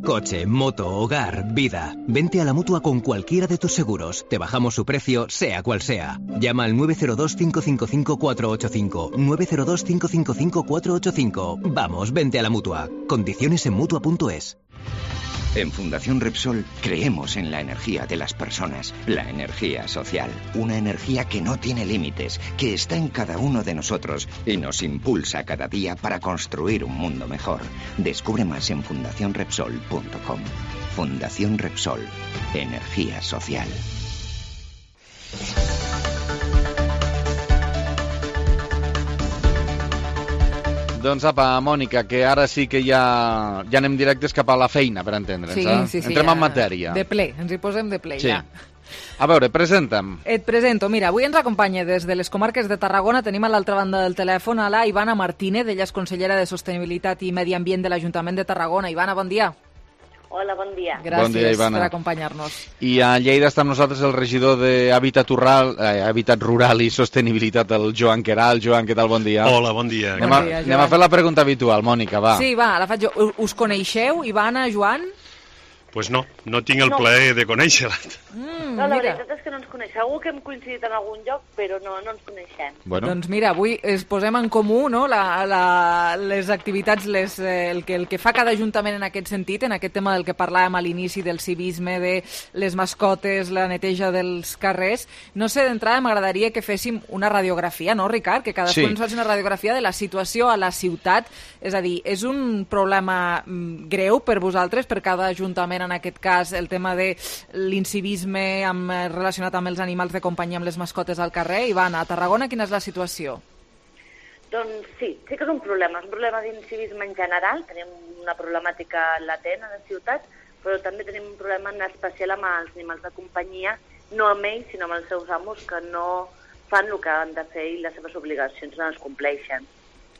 Coche, moto, hogar, vida. Vente a la Mutua con cualquiera de tus seguros. Te bajamos su precio, sea cual sea. Llama al nueve cero dos, cinco cinco cinco, cuatro ocho cinco. nueve cero dos, cinco cinco cinco, cuatro ocho cinco. Vamos, vente a la Mutua. Condiciones en Mutua punto es. En Fundación Repsol creemos en la energía de las personas, la energía social, una energía que no tiene límites, que está en cada uno de nosotros y nos impulsa cada día para construir un mundo mejor. Descubre más en fundación repsol punto com. Fundación Repsol, energía social. Doncs apa, Mònica, que ara sí que ja, ja anem directes cap a la feina, per entendre'ns. Sí, eh? sí, sí. Entrem ja, en matèria. De ple, ens hi posem de ple, sí. ja. A veure, presenta'm. Et presento. Mira, avui ens acompanya des de les comarques de Tarragona. Tenim a l'altra banda del telèfon a la Ivana Martínez, ella és consellera de Sostenibilitat i Medi Ambient de l'Ajuntament de Tarragona. Ivana, bon dia. Hola, bon dia. Gràcies bon dia, Ivana. per acompanyar-nos. I a Lleida està amb nosaltres el regidor d'Hàbitat Rural, eh, Hàbitat Rural i Sostenibilitat, el Joan Queralt. Joan, què tal? Bon dia. Hola, bon dia. Anem, Bon a, dia, anem a fer la pregunta habitual, Mònica, va. Sí, va, la faig jo. Us coneixeu, Ivana, Joan? Pues no, no tinc el No. plaer de conèixer-la. Mm, No, la mira. veritat és que no ens coneixem. Segur que hem coincidit en algun lloc, però no, no ens coneixem. Bueno. Doncs mira, avui es posem en comú, no?, la, la, les activitats, les, eh, el, que, el que fa cada ajuntament en aquest sentit, en aquest tema del que parlàvem a l'inici, del civisme, de les mascotes, la neteja dels carrers. No sé, d'entrada m'agradaria que féssim una radiografia, no, Ricard? Que cadascú Sí. ens faci una radiografia de la situació a la ciutat. És a dir, és un problema mm, greu per vosaltres, per cada ajuntament, en aquest cas, el tema de l'incivisme amb, eh, relacionat amb els animals de companyia, amb les mascotes al carrer. Ivana, a Tarragona quina és la situació? Doncs sí, sí que és un problema. És un problema d'incivisme en general. Tenim una problemàtica latent a la ciutat, però també tenim un problema en especial amb els animals de companyia, no amb ells, sinó amb els seus amos, que no fan el que han de fer i les seves obligacions no les compleixen.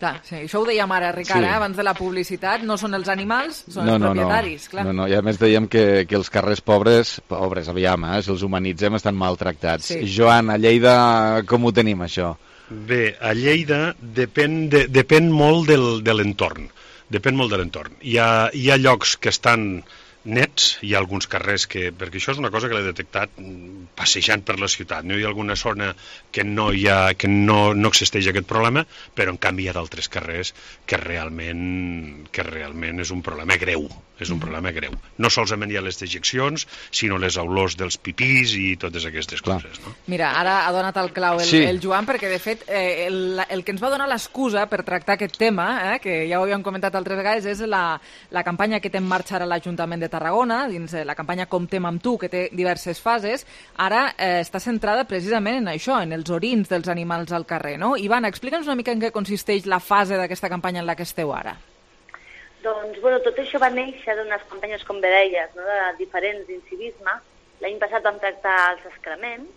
Clar, sí, això ho dèiem ara, Ricard, Sí. eh? Abans de la publicitat. No són els animals, són No, els no, propietaris, no. clar. No, no, i a més dèiem que, que els carrers pobres, pobres, aviam, eh, si els humanitzem, estan maltractats. Sí. Joan, a Lleida, com ho tenim, això? Bé, a Lleida depèn, de, depèn molt del, de l'entorn. Depèn molt de l'entorn. Hi ha, hi ha llocs que estan nets, hi ha alguns carrers que... Perquè això és una cosa que l'he detectat mm, passejant per la ciutat. No hi ha alguna zona que no hi ha, que no, no existeix aquest problema, però en canvi hi ha d'altres carrers que realment, que realment és un problema greu. És un problema greu. No solament hi ha les dejeccions, sinó les olors dels pipís i totes aquestes coses. No? Mira, ara ha donat el clau el, Sí. el Joan, perquè de fet eh, el, el que ens va donar l'excusa per tractar aquest tema, eh, que ja ho havíem comentat altres vegades, és la, la campanya que té en marxa ara l'Ajuntament de Tarragona, dins eh, la campanya Comptem amb tu, que té diverses fases. Ara eh, està centrada precisament en això, en els orins dels animals al carrer, no? Ivana, explica'ns una mica en què consisteix la fase d'aquesta campanya en la que esteu ara. Doncs, bueno, tot això va néixer d'unes campanyes, com bé deies, no? De diferents d'incivisme. L'any passat vam tractar els excrements,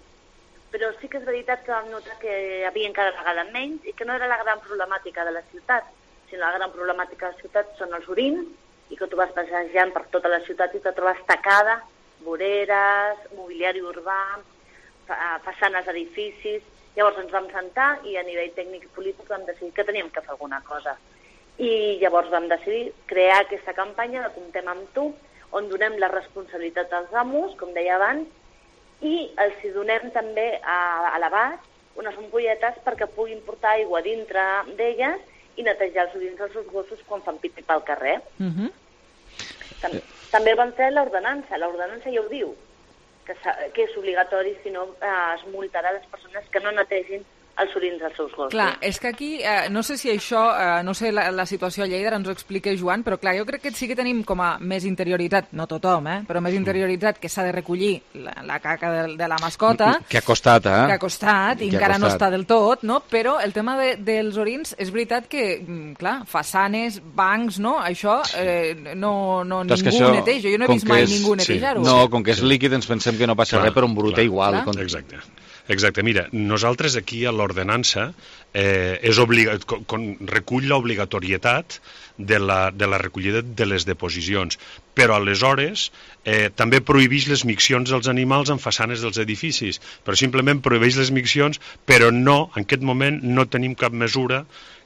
però sí que és veritat que vam notar que hi havia cada vegada menys i que no era la gran problemàtica de la ciutat, sinó la gran problemàtica de la ciutat són els orins, i que tu vas passejant per tota la ciutat i te trobes tacada, voreres, mobiliari urbà, fa- façanes d'edificis. Llavors ens vam sentar i a nivell tècnic i polític vam decidir que teníem que fer alguna cosa. I llavors vam decidir crear aquesta campanya de Comptem amb tu, on donem la responsabilitat als amos, com deia abans, i els hi donem també a, a l'abast unes ampolletes perquè puguin portar aigua dintre d'elles i netejar els orins dels seus gossos quan fan pipí pel carrer. Uh -huh. Tam també van fer l'ordenança. L'ordenança ja ho diu, que, que és obligatori, si no eh, es multarà les persones que no netegin els orins dels seus gossos. Clar, és que aquí, eh, no sé si això, eh, no sé la, la situació a Lleida, ara ens ho explica Joan, però clar, jo crec que sí que tenim com a més interioritat, no tothom, eh, però més interioritzat que s'ha de recollir la, la caca de, de la mascota, Que ha costat, eh? que ha costat, i Que ha encara no costat. està del tot, no? Però el tema de, dels orins, és veritat que, mm, clar, façanes, bancs, no? Això eh, no, no Però és ningú que això, neteja. Jo no he com vist que mai és- ningú sí. netejar-ho. No, com que és líquid ens pensem que no passa Clar, res, però un brut clar, igual. clar. Exacte. Exacte, mira, nosaltres aquí a l'ordenança eh, és obliga con, con, recull l'obligatorietat de la, de la recollida de les deposicions, però aleshores eh, també prohibeix les miccions dels animals en façanes dels edificis, però simplement prohibeix les miccions, però no, en aquest moment no tenim cap mesura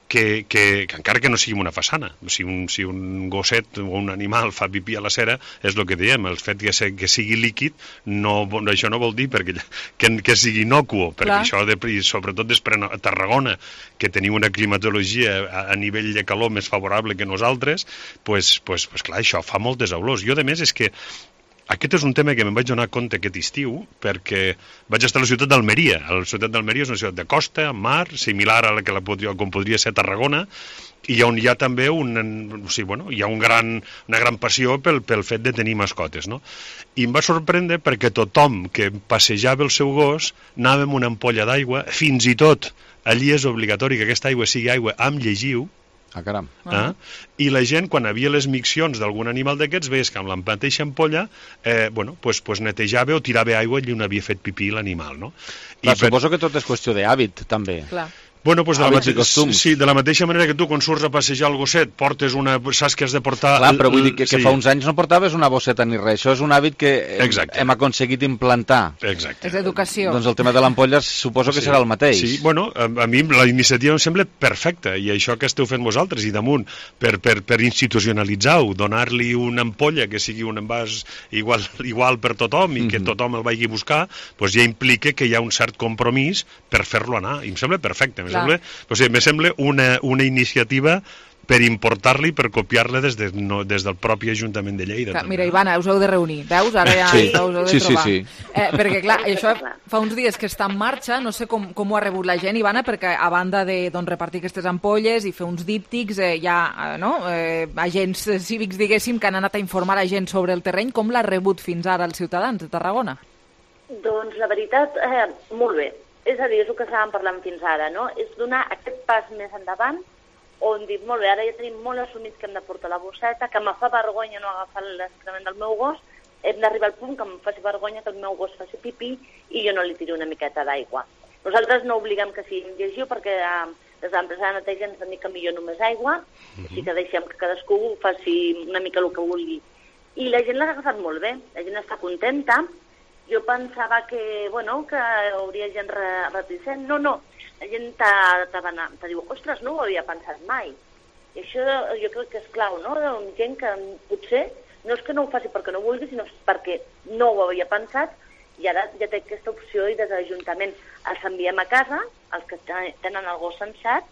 que, que, que encara que no sigui una façana, si un, si un gosset o un animal fa pipí a la cera, és el que diem, el fet que, se, que sigui líquid, no, això no vol dir perquè, que, que sigui inocuo, perquè clar. Això, de, sobretot després a Tarragona, que teniu una climatologia a, a nivell de calor més favorable que nosaltres, pues, pues, pues clar, això fa moltes olors. Jo, a més, és que aquest és un tema que me'n vaig donar compte aquest estiu perquè vaig estar a la ciutat d'Almeria. La ciutat d'Almeria és una ciutat de costa, amb mar, similar a la que la, com podria ser Tarragona, i on hi ha també un, o sigui, bueno, hi ha un gran, una gran passió pel, pel fet de tenir mascotes, no? I em va sorprendre perquè tothom que passejava el seu gos anava amb una ampolla d'aigua, fins i tot allí és obligatori que aquesta aigua sigui aigua amb llegiu. Ah, caram. Eh? I la gent, quan havia les miccions d'algun animal d'aquests, veies que amb la mateixa ampolla eh, bueno, pues, pues netejava o tirava aigua allí on havia fet pipí l'animal, no? Clar, I suposo per... que tot és qüestió d'hàbit, també. Clar. Bueno, pues de, la mate... sí, de la mateixa manera que tu, quan surts a passejar el gosset, portes una... saps que has de portar... Clar, però vull dir que, que sí. Fa uns anys no portaves una bosseta ni res. Això és un hàbit que Exacte. Hem aconseguit implantar. Exacte. És educació. Doncs el tema de l'ampolla suposo que sí. serà el mateix. Sí, bueno, a, a mi la iniciativa em sembla perfecta, i això que esteu fent vosaltres, i damunt, per, per, per institucionalitzar-ho, donar-li una ampolla que sigui un envàs igual, igual per tothom i que mm-hmm. tothom el vagi a buscar, doncs ja implica que hi ha un cert compromís per fer-lo anar. I em sembla perfecte. Em sembla, o sigui, me sembla una, una iniciativa per importar-la i per copiar-la des, de, no, des del propi Ajuntament de Lleida. Clar, mira, Ivana, us heu de reunir, veus? Ara ja sí. us heu de sí, trobar. Sí, sí. Eh, perquè, clar, això fa uns dies que està en marxa, no sé com, com ho ha rebut la gent, Ivana, perquè a banda de doncs, repartir aquestes ampolles i fer uns díptics, eh, hi ha no? eh, agents cívics, diguéssim, que han anat a informar la gent sobre el terreny. Com l'ha rebut fins ara els ciutadans de Tarragona? Doncs la veritat, eh, molt bé. És a dir, és el que estàvem parlant fins ara, no? És donar aquest pas més endavant on dic, molt bé, ara ja tenim molt assumits que hem de portar la bosseta, que me fa vergonya no agafar l'excrement del meu gos, hem d'arribar al punt que em faci vergonya que el meu gos faci pipí i jo no li tiri una miqueta d'aigua. Nosaltres no obliguem que sigui llegiu perquè eh, des de l'empresa de neteja ens han dit que millor només aigua, mm-hmm. així que deixem que cadascú faci una mica el que vulgui. I la gent l'ha agafat molt bé, la gent està contenta. Jo pensava que, bueno, que hauria gent reticent. No, no, la gent te diu, ostres, no ho havia pensat mai. I això jo crec que és clau, no? Gent que potser no és que no ho faci perquè no vulgui, sinó perquè no ho havia pensat i ara ja té aquesta opció i des de l'Ajuntament els enviem a casa, els que tenen el gos censat,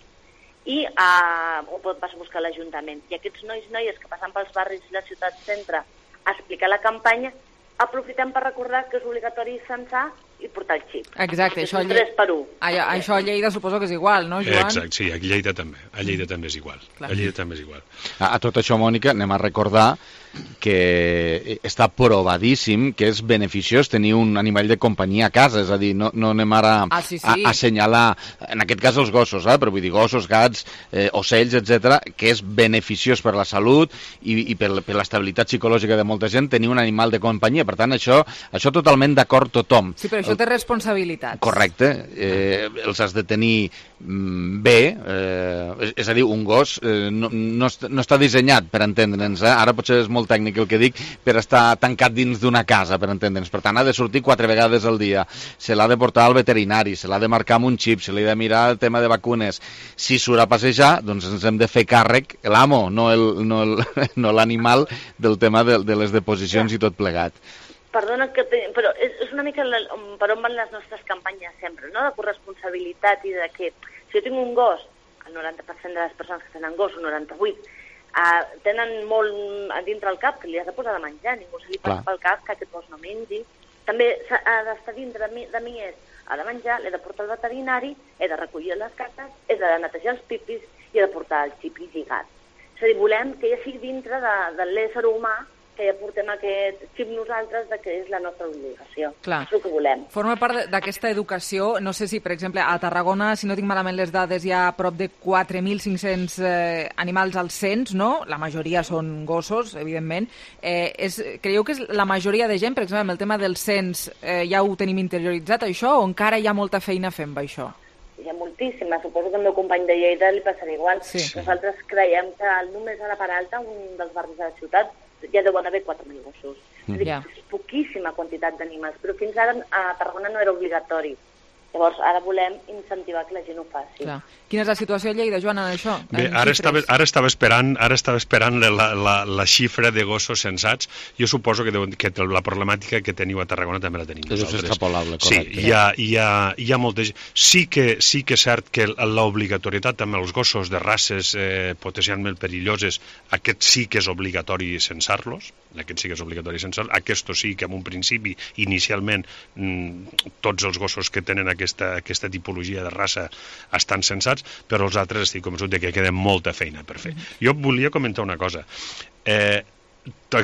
i uh, ho vas a buscar a l'Ajuntament. I aquests nois i noies que passen pels barris i la ciutat centre a explicar la campanya, aprofitem per recordar que és obligatori censar i portar el xip. Exacte, això, és tres per u. A, això a Lleida suposo que és igual, no, Joan? Exacte, sí, a Lleida també. A Lleida també és igual. Clar. A Lleida també és igual. A, a tot això, Mònica, anem a recordar que està provadíssim que és beneficiós tenir un animal de companyia a casa, és a dir, no, no anem ara ah, sí, sí. A, a assenyalar, en aquest cas els gossos, eh? Però vull dir gossos, gats, eh, ocells, etcètera, que és beneficiós per la salut i, i per, per l'estabilitat psicològica de molta gent tenir un animal de companyia. Per tant, això, això totalment d'acord tothom. Sí, però això té responsabilitats. Correcte, eh, els has de tenir mm, bé, eh, és, és a dir, un gos eh, no, no, no està dissenyat per entendre'ns, eh? Ara potser és molt tècnic el que dic, per estar tancat dins d'una casa, per entendre'ns. Per tant, ha de sortir quatre vegades al dia, se l'ha de portar al veterinari, se l'ha de marcar amb un xip, se li ha de mirar el tema de vacunes. Si surt a passejar, doncs ens hem de fer càrrec, l'amo, no l'animal, no del tema de, de les deposicions i tot plegat. Perdona, que te... però és, és una mica la, per on van les nostres campanyes sempre, no? De corresponsabilitat i de que si jo tinc un gos, el noranta per cent de les persones que tenen gos, un noranta-vuit per cent, Uh, tenen molt a dintre el cap que li has de posar de menjar, ningú se li passa pel cap que aquest gos no mengi. També ha d'estar dintre de mi, de mi és, ha de menjar, l'he de portar al veterinari, he de recollir les caques, he de netejar els pipis i he de portar el xip lligat. És a dir, volem que ja sigui dintre de, de l'ésser humà que ja portem aquest xip nosaltres de que és la nostra obligació. Clar. És el que volem. Forma part d'aquesta educació, no sé si, per exemple, a Tarragona, si no tinc malament les dades, hi ha prop de quatre mil cinc-cents eh, animals al cens, no? La majoria són gossos, evidentment. Eh, és, creieu que és la majoria de gent, per exemple, amb el tema del cens, eh, ja ho tenim interioritzat, això, o encara hi ha molta feina fent amb això? Hi ha moltíssima, suposo que el meu company de Lleida li passarà igual. Sí. Nosaltres creiem que només a la Peralta, un dels barris de la ciutat, ja deuen haver quatre mil gossos. Mm. És, dir, és poquíssima quantitat d'animals, però fins ara a Tarragona no era obligatori. Llavors, ara volem incentivar que la gent ho faci. Clar. Quina és la situació a Lleida, Joana, d'això? Bé, ara estava, ara estava esperant, ara estava esperant la, la, la xifra de gossos censats. Jo suposo que, deu, que la problemàtica que teniu a Tarragona també la tenim nosaltres. És extrapolable, correcte. Sí, hi ha, hi ha, hi ha molta gent. Sí que, sí que és cert que l'obligatorietat amb els gossos de races eh, potencialment perilloses, aquest sí que és obligatori censar-los, aquest sí que és obligatori censar-los, aquest sí que en un principi, inicialment, mmm, tots els gossos que tenen aquesta, aquesta tipologia de raça estan censats, però els altres estic convençut de que queda molta feina per fer. Jo volia comentar una cosa. Eh,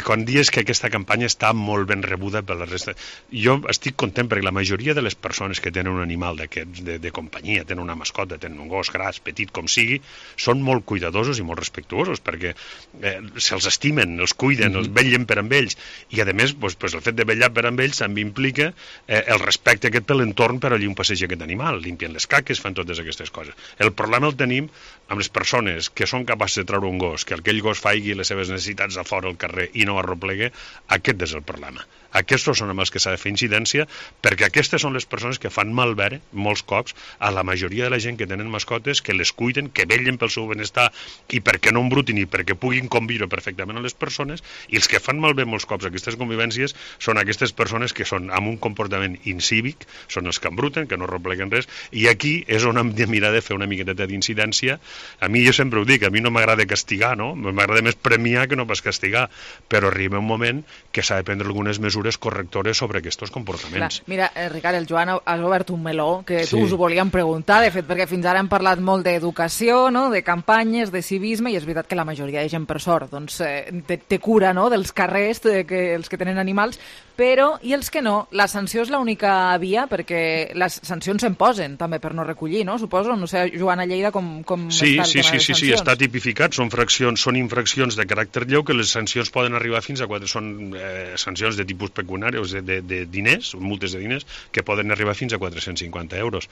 quan dius que aquesta campanya està molt ben rebuda per la resta, jo estic content perquè la majoria de les persones que tenen un animal d'aquests de, de companyia, tenen una mascota, tenen un gos gras, petit com sigui, són molt cuidadosos i molt respectuosos perquè eh, se'ls estimen, els cuiden, mm-hmm. els vetllen per amb ells i a més pues, pues, el fet de vetllar per amb ells també implica eh, el respecte aquest per l'entorn per allí on passeja aquest animal, limpien les caques, fan totes aquestes coses. El problema el tenim amb les persones que són capaces de treure un gos, que aquell gos faigui les seves necessitats a fora al carrer i no arroplegue, aquest és el problema. Aquests són els que s'ha de fer incidència perquè aquestes són les persones que fan malbé molts cops a la majoria de la gent que tenen mascotes, que les cuiden, que vetllen pel seu benestar i perquè no embrutin i perquè puguin conviure perfectament amb les persones, i els que fan malbé molts cops aquestes convivències són aquestes persones que són amb un comportament incívic, són els que embruten, que no arropleguen res, i aquí és on hem de mirar de fer una miqueta d'incidència. A mi jo sempre ho dic, a mi no m'agrada castigar, no? M'agrada més premiar que no pas castigar, però arriba un moment que s'ha de prendre algunes mesures correctores sobre aquests comportaments. Clar, mira, eh, Ricard, el Joan has obert un meló que sí. us ho volíem preguntar, de fet, perquè fins ara hem parlat molt d'educació, no? De campanyes, de civisme, i és veritat que la majoria de gent, per sort, doncs, eh, té, té cura, no?, dels carrers, de que, els que tenen animals, però, i els que no? La sanció és l'única via, perquè les sancions se'n posen, també, per no recollir, no? Suposo, no sé, Joan, a Lleida, com, com sí, està el sí, tema sí, de les sí, sancions? Sí, està tipificat, són, fraccions, són infraccions de caràcter lleu que les sancions poden arribar fins a quatre, són eh, sancions de tipus pecuniari, o sigui, de, de diners, multes de diners, que poden arribar fins a quatre-cents cinquanta euros.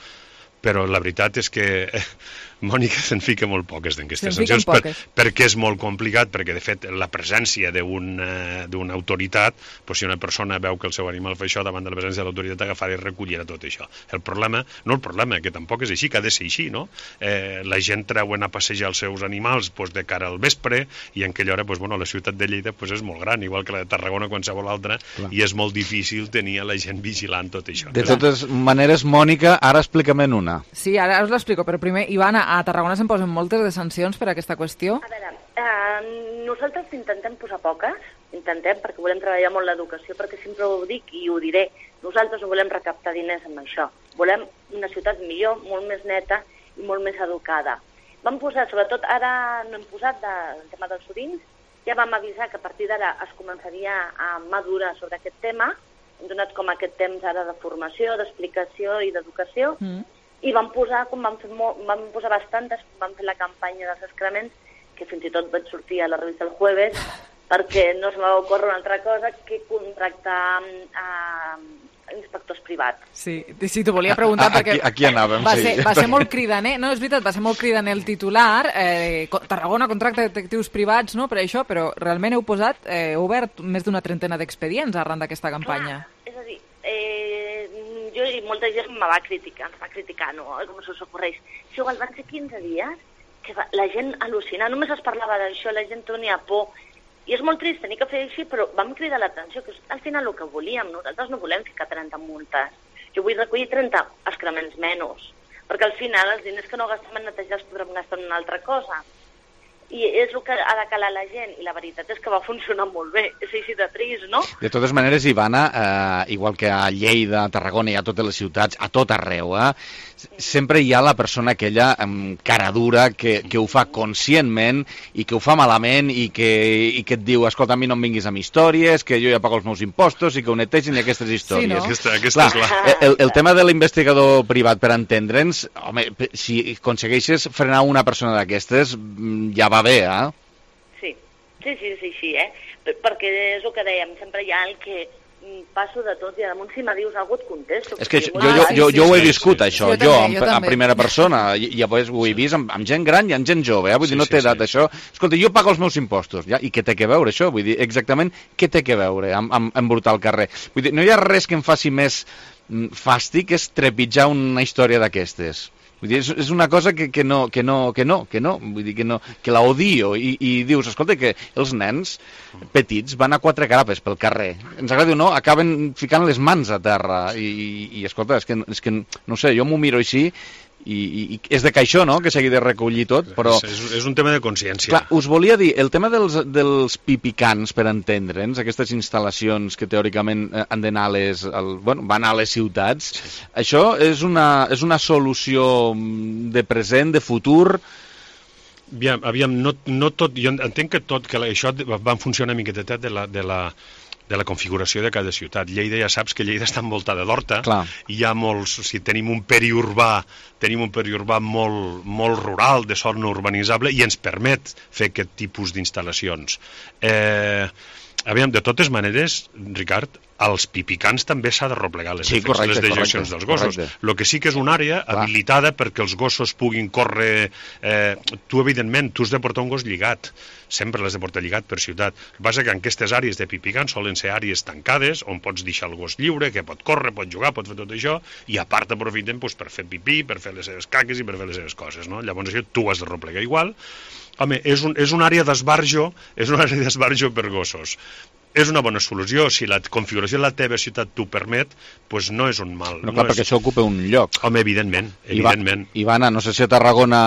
Però la veritat és que eh, Mònica se'n fica molt poques d'aquestes sancions per, perquè és molt complicat, perquè de fet la presència d'una un autoritat, doncs si una persona veu que el seu animal fa això, davant de la presència de l'autoritat agafar i recollir tot això. El problema, no el problema, que tampoc és així, que ha de ser així, no? Eh, la gent treuen a passejar els seus animals doncs, de cara al vespre, i en aquella hora doncs, bueno, la ciutat de Lleida doncs, és molt gran, igual que la de Tarragona o qualsevol altra, clar. I és molt difícil tenir a la gent vigilant tot això. De totes maneres, Mònica, ara explica-me'n una. Sí, ara us l'explico, però primer, Ivana, a Tarragona se'n posen moltes de sancions per aquesta qüestió? A veure, eh, nosaltres intentem posar poques, intentem, perquè volem treballar molt l'educació, perquè sempre ho dic i ho diré, nosaltres no volem recaptar diners amb això, volem una ciutat millor, molt més neta i molt més educada. Vam posar, sobretot ara no hem posat de, el tema dels orins, ja vam avisar que a partir d'ara es començaria a madurar sobre aquest tema, hem donat com aquest temps ara de formació, d'explicació i d'educació, mm. i vam posar, com vam fer, molt, vam posar bastantes, vam fer la campanya dels excrements, que fins i tot vaig sortir a la revista El Jueves, perquè no se m'ha ocórrer una altra cosa que contractar a inspectors privats. Sí, sí, t'ho volia preguntar a, perquè... Aquí, aquí anàvem, va sí. Ser, va ser molt cridaner, no, és veritat, va ser molt cridaner el titular, eh, Tarragona contracta detectius privats, no, per això, però realment heu posat, eh, heu obert més d'una trentena d'expedients arran d'aquesta campanya. Clar, és a dir, eh, jo i molta gent me va criticar, ens va criticar, no, com se us ocorreix. Si igual van ser quinze dies que va, la gent al·lucina, només es parlava d'això, la gent tenia por, i és molt trist tenir que fer així, però vam cridar l'atenció, que és al final el que volíem, nosaltres no volem ficar trenta multes, jo vull recollir trenta excrements menys, perquè al final els diners que no gastem en netejar els podrem gastar en una altra cosa. I és el que ha de calar la gent, i la veritat és que va funcionar molt bé, és així de trist, no? De totes maneres, Ivana, eh, igual que a Lleida, a Tarragona i a totes les ciutats, a tot arreu, eh, sempre hi ha la persona aquella amb cara dura que, que ho fa conscientment i que ho fa malament i que, i que et diu, escolta, a mi no em vinguis amb històries, que jo ja pago els meus impostos i que ho netegin i aquestes històries. Sí, no? Aquesta, aquesta Clar, és la... el, el tema de l'investigador privat, per entendre'ns, home, si aconsegueixes frenar una persona d'aquestes, ja va bé, eh? Sí, sí, sí, sí, sí, eh? Perquè és el que dèiem, sempre hi ha el que passo de tot i damunt si me dius alguna cosa et contesto. És que jo, jo, jo, jo ho he viscut, això, jo, jo, jo en, en primera persona, i llavors ho he vist amb, amb gent gran i amb gent jove, eh? Vull dir, no té edat, això. Escolta, jo pago els meus impostos, ja? I què té que veure això? Vull dir, exactament, què té que veure amb, amb embrutar el carrer? Vull dir, no hi ha res que em faci més fàstic és trepitjar una història d'aquestes. Vull dir, és, és una cosa que, que no, que no, que no, que no, vull dir que no, que la odio i, i dius, escolta, que els nens petits van a quatre grapes pel carrer, ens agradi o no, acaben ficant les mans a terra i, i, i escolta, és que, és que no sé, jo m'ho miro així i, i, i és de caixó, no?, que s'hagi de recollir tot, però... És, és un tema de consciència. Clar, us volia dir, el tema dels, dels pipicans, per entendre'ns, aquestes instal·lacions que teòricament han d'anar a les... El, bueno, van a les ciutats, sí. Això és una, és una solució de present, de futur... Aviam, aviam no, no tot... Jo entenc que tot, que això va funcionar una miqueta de la... De la de la configuració de cada ciutat. Lleida, ja saps que Lleida està envoltada d'horta, hi ha molts, o sigui, tenim un periurbà, tenim un periurbà molt, molt rural, de sort no urbanitzable, i ens permet fer aquest tipus d'instal·lacions. Eh, aviam, de totes maneres, Ricard, als pipicans també s'ha de replegar les, sí, correcte, les dejeccions correcte, dels gossos. El que sí que és una àrea Clar. habilitada perquè els gossos puguin córrer... Eh, tu, evidentment, tu has de portar un gos lligat, sempre l'has de portar lligat per ciutat. El que passa que en aquestes àrees de pipicans solen ser àrees tancades, on pots deixar el gos lliure, que pot córrer, pot jugar, pot fer tot això, i a part aprofiten doncs, per fer pipí, per fer les seves caques i per fer les seves coses. No? Llavors això tu has de replegar igual. Home, és, un, és una àrea d'esbarjo, és una àrea d'esbarjo per gossos. És una bona solució, si la configuració de la teva ciutat t'ho permet, doncs no és un mal. No, clar, no perquè és... això ocupa un lloc. Home, evidentment, evidentment. Ivana, no sé si a Tarragona...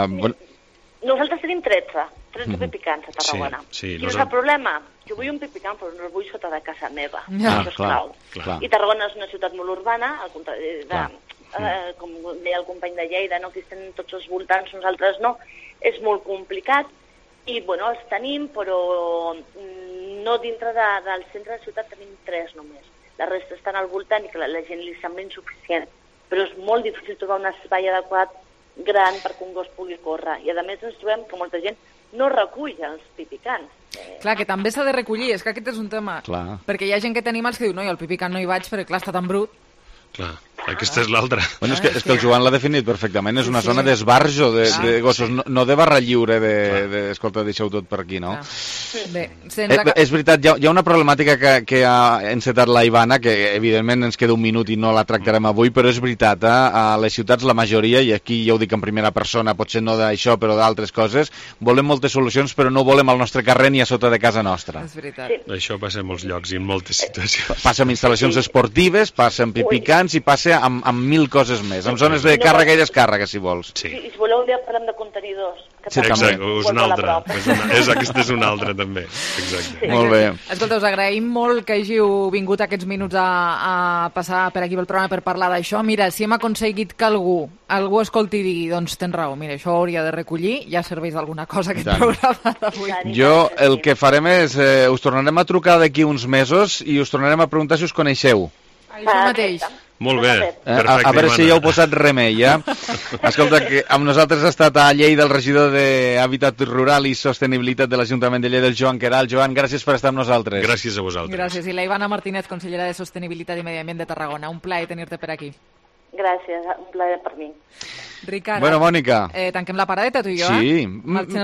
Eh... Nosaltres tenim tretze, tretze mm. pipicans a Tarragona. Sí, sí, Quin és el problema? Jo vull un pipicant, però no el vull sota de casa meva. Ja, això és clar, clau. clar. I Tarragona és una ciutat molt urbana, al contrari de... Mm. Eh, com deia el company de Lleida, no? Que estem tots els voltants, nosaltres no. És molt complicat. I, bueno, els tenim, però no dintre de, del centre de la ciutat tenim tres només. La resta estan al voltant i que la, la gent li sembla insuficient. Però és molt difícil trobar un espai adequat gran perquè un gos pugui córrer. I, a més, ens trobem que molta gent no recull els pipicans. Eh... Clar, que també s'ha de recollir, és que aquest és un tema. Clar. Perquè hi ha gent que té animals que diu, no, jo al pipicant no hi vaig perquè, clar, està tan brut. Clar, aquesta és l'altra. Bueno, és, que, és que el Joan l'ha definit perfectament, és una sí, zona d'esbarjo de, de gossos, no, no de barra lliure de, de escolta, deixeu tot per aquí, no? Bé, eh, és veritat, hi ha, hi ha una problemàtica que, que ha encetat la Ivana, que evidentment ens queda un minut i no la tractarem avui, però és veritat, eh? A les ciutats la majoria, i aquí ja ho dic en primera persona, potser no d'això, però d'altres coses, volem moltes solucions, però no volem al nostre carrer ni a sota de casa nostra. És veritat. Sí. Això passa en molts llocs i en moltes situacions. Passa amb instal·lacions sí. esportives, passa amb pipicants, i passa amb, amb mil coses més, amb zones de càrrega i descàrrega, si vols. Sí. I si voleu un dia parlem de contenidors. Sí, exacte, és una altra. És una, és, aquesta és una altra, també. Exacte. Sí. Molt bé. Escolta, us agraïm molt que hàgiu vingut aquests minuts a, a passar per aquí pel programa per parlar d'això. Mira, si hem aconseguit que algú, algú escolti i digui, doncs tens raó, mira, això ho hauria de recollir, ja serveix d'alguna cosa aquest programa d'avui. Jo el que farem és, eh, us tornarem a trucar d'aquí uns mesos i us tornarem a preguntar si us coneixeu. Això mateix. Molt bé, perfecte, a, a veure Ivana. si ja heu posat remei, ja. Escolta, que amb nosaltres ha estat a Lleida el regidor d'Hàbitat Rural i Sostenibilitat de l'Ajuntament de Lleida, el Joan Queralt. Joan, gràcies per estar amb nosaltres. Gràcies a vosaltres. Gràcies. I la Ivana Martínez, consellera de Sostenibilitat i Medi Ambient de Tarragona. Un plaer tenir-te per aquí. Gràcies, un plaer per mi. Ricard, bueno, Mònica. Eh, tanquem la paradeta, tu i jo, sí. eh?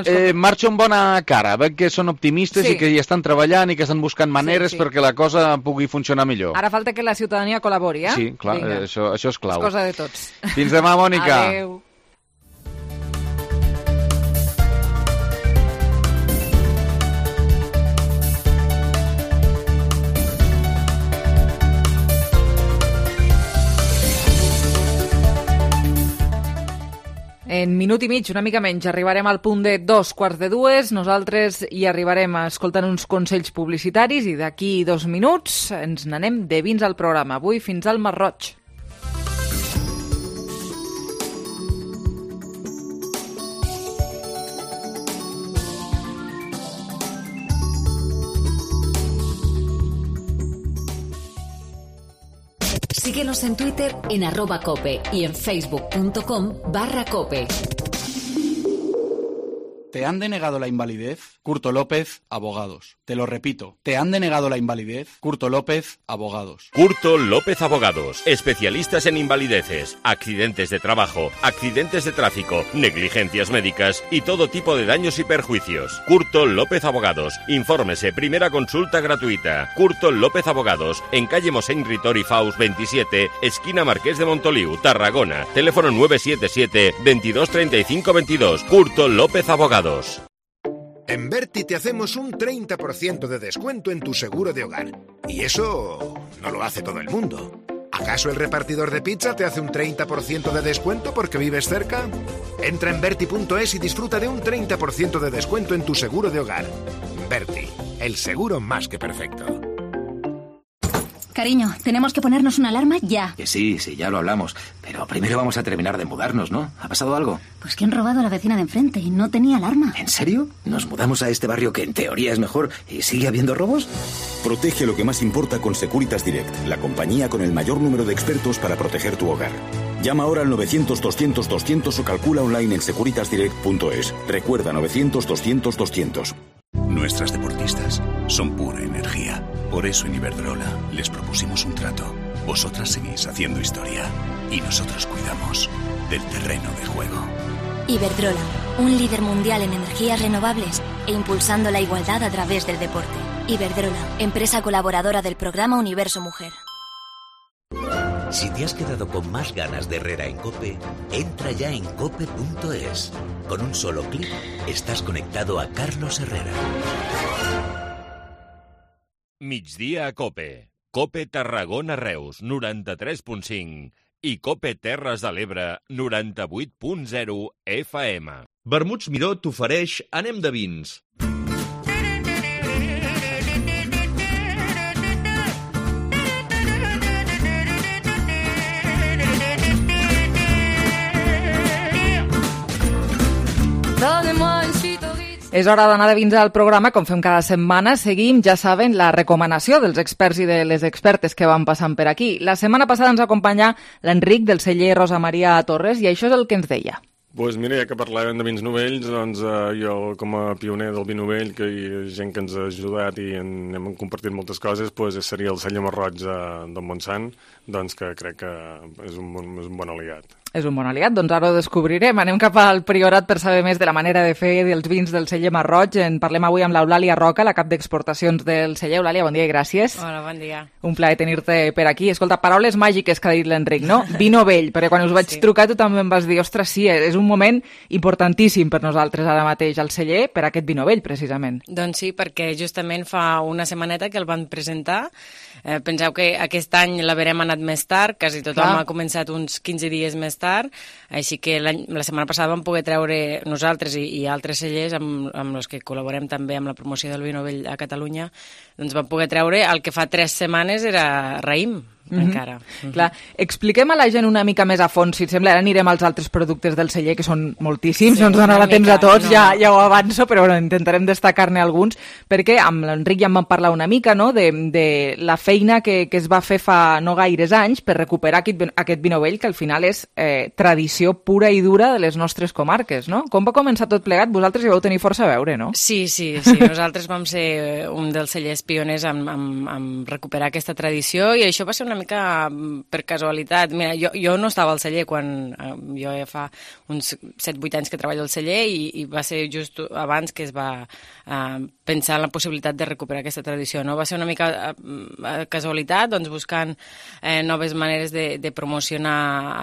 Sí, eh, marxa amb bona cara, veig que són optimistes sí. i que hi estan treballant i que estan buscant maneres sí, sí. perquè la cosa pugui funcionar millor. Ara falta que la ciutadania col·labori, eh? Sí, clar, eh, això, això és clau. És cosa de tots. Fins demà, Mònica. Adéu. En minut i mig, una mica menys, arribarem al punt de dos quarts de dues. Nosaltres hi arribarem escoltant uns consells publicitaris i d'aquí dos minuts ens n'anem de vins al programa. Avui fins al Mar Roig. Síguenos en Twitter en arroba cope y en facebook punto com barra cope. ¿Te han denegado la invalidez? Curto López, Abogados. Te lo repito, ¿te han denegado la invalidez? Curto López, Abogados. Curto López Abogados, especialistas en invalideces, accidentes de trabajo, accidentes de tráfico, negligencias médicas y todo tipo de daños y perjuicios. Curto López Abogados, infórmese, primera consulta gratuita. Curto López Abogados, en calle Mosén Ritor y Faus veintisiete, esquina Marqués de Montoliu, Tarragona. Teléfono nueve siete siete, veintidós treinta y cinco veintidós. Curto López Abogados. En Berti te hacemos un treinta por ciento de descuento en tu seguro de hogar. Y eso no lo hace todo el mundo. ¿Acaso el repartidor de pizza te hace un treinta por ciento de descuento porque vives cerca? Entra en Berti punto es y disfruta de un treinta por ciento de descuento en tu seguro de hogar. Berti, el seguro más que perfecto. Cariño, tenemos que ponernos una alarma ya. Que sí, sí, ya lo hablamos. Pero primero vamos a terminar de mudarnos, ¿no? ¿Ha pasado algo? Pues que han robado a la vecina de enfrente y no tenía alarma. ¿En serio? ¿Nos mudamos a este barrio que en teoría es mejor y sigue habiendo robos? Protege lo que más importa con Securitas Direct, la compañía con el mayor número de expertos para proteger tu hogar. Llama ahora al novecientos doscientos doscientos o calcula online en securitas direct punto es. Recuerda novecientos doscientos doscientos. Nuestras deportistas son pura energía. Por eso en Iberdrola les propusimos un trato. Vosotras seguís haciendo historia y nosotros cuidamos del terreno de juego. Iberdrola, un líder mundial en energías renovables e impulsando la igualdad a través del deporte. Iberdrola, empresa colaboradora del programa Universo Mujer. Si te has quedado con más ganas de Herrera en COPE, entra ya en cope punto es. Con un solo clic estás conectado a Carlos Herrera. Migdia a COPE. COPE Tarragona Reus, noranta-tres punt cinc. I COPE Terres de l'Ebre, noranta-vuit punt zero F M. Vermuts Miró t'ofereix Anem de vins. És hora d'anar de vins al programa, com fem cada setmana. Seguim, ja saben, la recomanació dels experts i de les expertes que van passant per aquí. La setmana passada ens acompanya l'Enric del celler Rosa Maria Torres i això és el que ens deia. Doncs mira, ja que parlàvem de vins novells, doncs eh, jo com a pioner del vi novell, que hi ha gent que ens ha ajudat i en, hem compartit moltes coses, doncs seria el celler Marroig de, del Montsant, doncs que crec que és un, és un bon aliat. És un bon aliat, doncs ara ho descobrirem. Anem cap al Priorat per saber més de la manera de fer dels vins del celler Marroig. En parlem avui amb l'Eulàlia Roca, la cap d'exportacions del celler. Eulàlia, bon dia i gràcies. Hola, bon dia. Un plaer tenir-te per aquí. Escolta, paraules màgiques que ha dit l'Enric, no? Vi novell, perquè quan us vaig sí. trucar tu també em vas dir, ostres, sí, és un moment importantíssim per nosaltres ara mateix al celler per aquest vi novell, precisament. Doncs sí, perquè justament fa una setmaneta que el van presentar. Eh, penseu que aquest any l'haverem anat més tard, quasi tothom Clar. ha començat uns quinze dies més tard, així que la setmana passada vam poder treure nosaltres i, i altres cellers amb, amb els que col·laborem també amb la promoció del vi novell a Catalunya, doncs vam poder treure el que fa tres setmanes era raïm. Mm-hmm. encara. Mm-hmm. Clar, expliquem a la gent una mica més a fons, si et sembla, ara anirem als altres productes del celler, que són moltíssims, sí, no ens donarà temps a tots, no. ja, ja ho avanço, però bueno, intentarem destacar-ne alguns, perquè amb l'Enric ja en vam parlar una mica, no?, de, de la feina que, que es va fer fa no gaires anys per recuperar aquest, aquest vi novell, que al final és eh, tradició pura i dura de les nostres comarques, no? Com va començar tot plegat? Vosaltres hi vau tenir força a veure, no? Sí, sí, sí. Nosaltres vam ser un dels cellers pioners en, en, en recuperar aquesta tradició i això va ser una mica per casualitat. Mira, jo, jo no estava al celler quan eh, jo ja fa uns set vuit anys que treballo al celler i, i va ser just abans que es va eh, pensar en la possibilitat de recuperar aquesta tradició, no? Va ser una mica eh, casualitat, doncs buscant eh, noves maneres de, de promocionar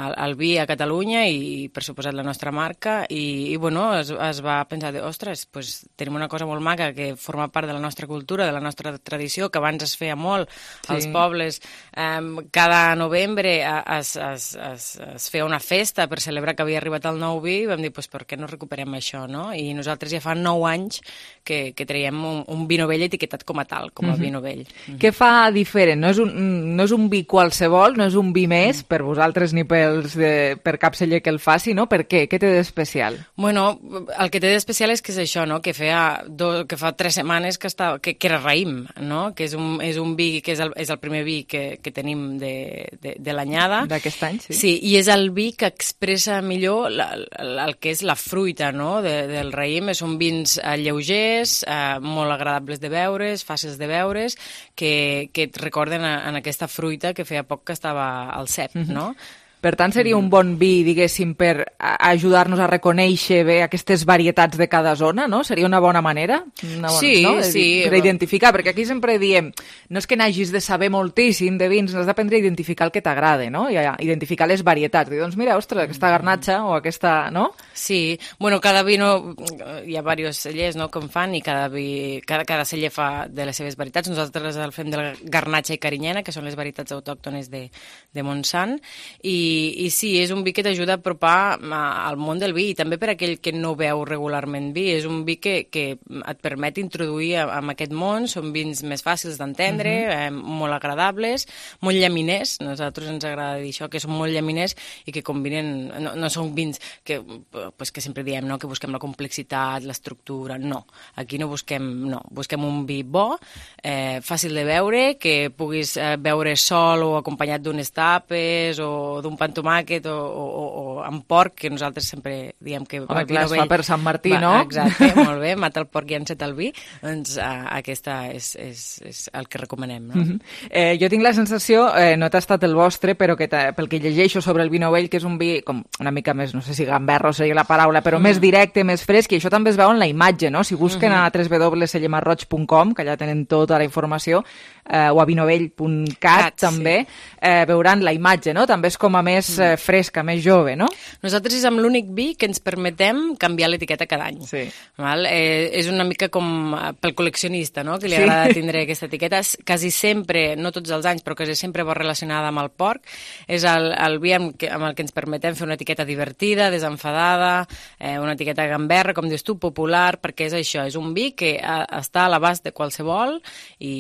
el, el vi a Catalunya i, per suposat, la nostra marca i, i bueno, es, es va pensar de, ostres, pues, tenim una cosa molt maca que forma part de la nostra cultura, de la nostra tradició, que abans es feia molt sí. als pobles. Eh, cada novembre es, es, es, es feia una festa per celebrar que havia arribat el nou vi i vam dir, pues, per què no recuperem això, no? I nosaltres ja fa nou anys que, que traiem un, un vi novell etiquetat com a tal, com a mm-hmm. vi novell. Mm-hmm. Què fa diferent? No és, un, no és un vi qualsevol, no és un vi més mm. per vosaltres ni pels de, per cap celler que el faci, no? Per què? Què té d'especial? Bueno, el que té d'especial és que és això, no? Que, feia do, que fa tres setmanes que, estava, que, que era raïm, no? Que és un, és un vi que és el, és el primer vi que, que tenim tenim de, de, de l'anyada. D'aquest any, sí. Sí, i és el vi que expressa millor la, el, el que és la fruita, no?, de, del raïm. Són vins eh, lleugers, eh, molt agradables de beure's, fàcils de beure's, que, que et recorden a, en aquesta fruita que feia poc que estava al cep, mm-hmm. no? Per tant, seria un bon vi, diguéssim, per ajudar-nos a reconèixer bé aquestes varietats de cada zona, no? Seria una bona manera? Una bona, sí, no? sí. Per identificar, perquè aquí sempre diem, no és que n'hagis de saber moltíssim de vins, has d'aprendre a identificar el que t'agrada, no? I a identificar les varietats. I doncs mira, ostres, aquesta garnatxa o aquesta, no? Sí, bueno, cada vino, hi ha diversos cellers, no?, que en fan, i cada, vi, cada, cada celler fa de les seves varietats. Nosaltres el fem de la garnatxa i carinyena, que són les varietats autòctones de, de Montsant, i I, i sí, és un vi que t'ajuda a apropar al món del vi, i també per aquell que no veu regularment vi. És un vi que, que et permet introduir en aquest món. Són vins més fàcils d'entendre, uh-huh. eh, molt agradables, molt llaminers. A nosaltres ens agrada dir això, que són molt llaminers i que combinen... No, no són vins que, pues, que sempre diem, no?, que busquem la complexitat, l'estructura. No, aquí no busquem... No, busquem un vi bo, eh, fàcil de beure, que puguis eh, beure sol o acompanyat d'unes tapes o d'un pan tomàquet o, o, o amb porc, que nosaltres sempre diem que... Home, clar, es fa per Sant Martí, va, no? Exacte, molt bé, mata el porc i enceta el vi, doncs uh, aquesta és, és, és el que recomanem, no? Uh-huh. eh, jo tinc la sensació, eh, no he tastat el vostre, però que pel que llegeixo sobre el vi novell, que és un vi com una mica més, no sé si gamberro seria la paraula, però uh-huh. més directe, més fresc, i això també es veu en la imatge, no? Si busquen uh-huh. a w w w punt cellemarroig punt com, que allà tenen tota la informació, eh, o a vinovell punt cat, també, sí. eh, veuran la imatge, no? També és com a més eh, fresca, més jove, no? Nosaltres és amb l'únic vi que ens permetem canviar l'etiqueta cada any. Sí. Val? Eh, és una mica com pel col·leccionista, no?, que li agrada sí. tindre aquesta etiqueta. Quasi sempre, no tots els anys, però quasi sempre va relacionada amb el porc. És el, el vi amb, que, amb el que ens permetem fer una etiqueta divertida, desenfadada, eh, una etiqueta gamberra, com dius tu, popular, perquè és això, és un vi que a, està a l'abast de qualsevol i,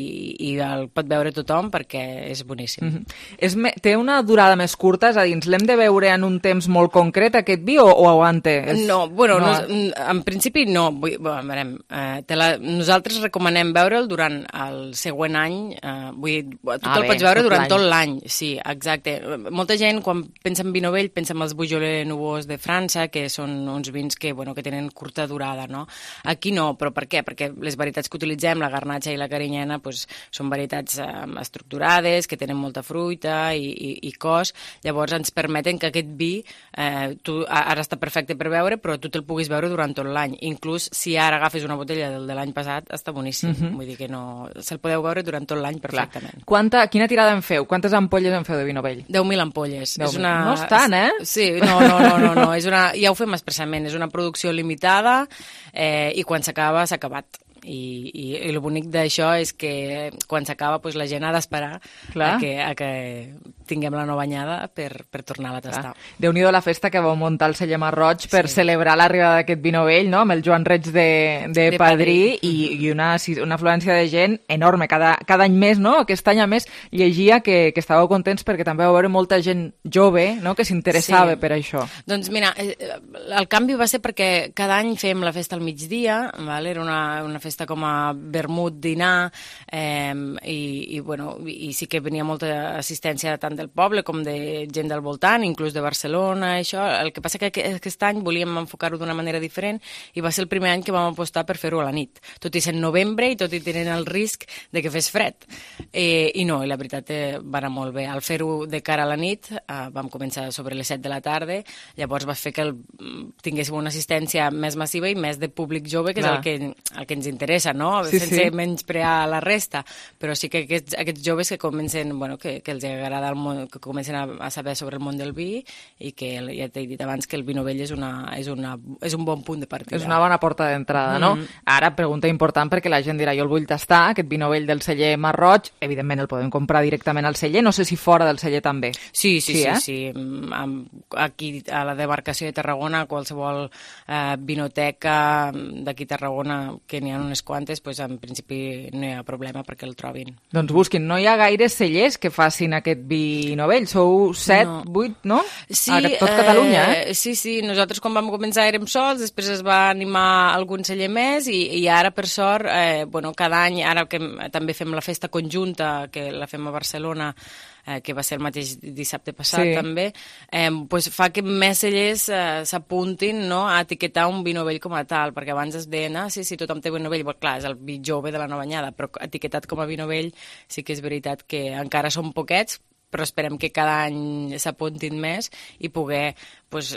i el pot veure tothom perquè és boníssim. Mm-hmm. és me, té una durada més curta, és a dir, ens l'hem de veure en un temps molt concret, aquest vi, o, o aguanta? És... No, bueno, no. No, en principi no. Vull, bueno, veurem, eh, te la, nosaltres recomanem veure'l durant el següent any. Eh, vull dir, tu ah, te'l pots veure tot durant tot l'any. Sí, exacte. Molta gent, quan pensa en vi novell, pensa en els Beaujolais Nouveaux de França, que són uns vins que, bueno, que tenen curta durada, no? Aquí no, però per què? Perquè les varietats que utilitzem, la garnatxa i la carinyena, pues, són varietats eh, estructurades, que tenen molta fruita i, i, i cos. Llavors ens permeten que aquest vi, eh, tu, ara està perfecte per beure, però tu te'l puguis beure durant tot l'any. Inclús si ara agafes una botella del de l'any passat, està boníssim. Uh-huh. Vull dir que no... Se'l podeu beure durant tot l'any perfectament. Quanta, quina tirada en feu? Quantes ampolles en feu de vi novell? deu mil ampolles. deu mil. És una... No és tant, eh? Sí, no, no, no, no, no. És una... ja ho fem expressament. És una producció limitada eh, i quan s'acaba, s'ha acabat. I, i, i el bonic d'això és que quan s'acaba pues, la gent ha d'esperar a que, a que tinguem la nova anyada per, per tornar a tastar. Déu-n'hi-do la festa que vau muntar el celler Marroig per sí. celebrar l'arribada d'aquest vi novell, no?, amb el Joan Reig de, de, de Padrí, Padrí. I, i una, una afluència de gent enorme, cada, cada any més, no? Aquest any a més llegia que, que estàveu contents perquè també vau veure molta gent jove, no?, que s'interessava sí. per això. Doncs mira, el canvi va ser perquè cada any fèiem la festa al migdia, val? Era una, una festa com a vermut, dinar, eh, i, i, bueno, i sí que venia molta assistència tant del poble com de gent del voltant, inclús de Barcelona, això. El que passa que aquest any volíem enfocar-ho d'una manera diferent i va ser el primer any que vam apostar per fer-ho a la nit, tot i ser novembre i tot i tenint el risc de que fes fred. Eh, I no, i la veritat eh, va anar molt bé. Al fer-ho de cara a la nit, eh, vam començar sobre les set de la tarda, llavors va fer que el, tinguéssim una assistència més massiva i més de públic jove, que Clar. és el que, el que ens interessa, no? Sí, sense sí. menysprear la resta, però sí que aquests, aquests joves que comencen, bueno, que, que els agrada el món, que comencen a, a saber sobre el món del vi i que ja t'he dit abans que el vi novell és, una, és, una, és un bon punt de partida. És una bona porta d'entrada, no? Mm. Ara, pregunta important perquè la gent dirà jo el vull tastar, aquest vi novell del celler Marroig, evidentment el podem comprar directament al celler, no sé si fora del celler també. Sí, sí, sí, sí, eh? sí. Aquí a la demarcació de Tarragona, qualsevol eh, vinoteca d'aquí a Tarragona, que n'hi ha unes quantes, pues, en principi no hi ha problema perquè el trobin. Doncs busquin, no hi ha gaires cellers que facin aquest vi vi novell. Sou set, No. vuit, no? Sí, a tot Catalunya, eh? eh? Sí, sí, nosaltres quan vam començar érem sols, després es va animar algun celler més i, i ara, per sort, eh, bueno, cada any, ara que també fem la festa conjunta, que la fem a Barcelona, eh, que va ser el mateix dissabte passat Sí. també, eh, pues fa que més cellers eh, s'apuntin, no, a etiquetar un vi novell com a tal, perquè abans es deien, ah, sí, sí, tothom té vi novell, però clar, és el vi jove de la nova anyada, però etiquetat com a vi novell sí que és veritat que encara són poquets, però esperem que cada any s'apuntin més i poder, pues,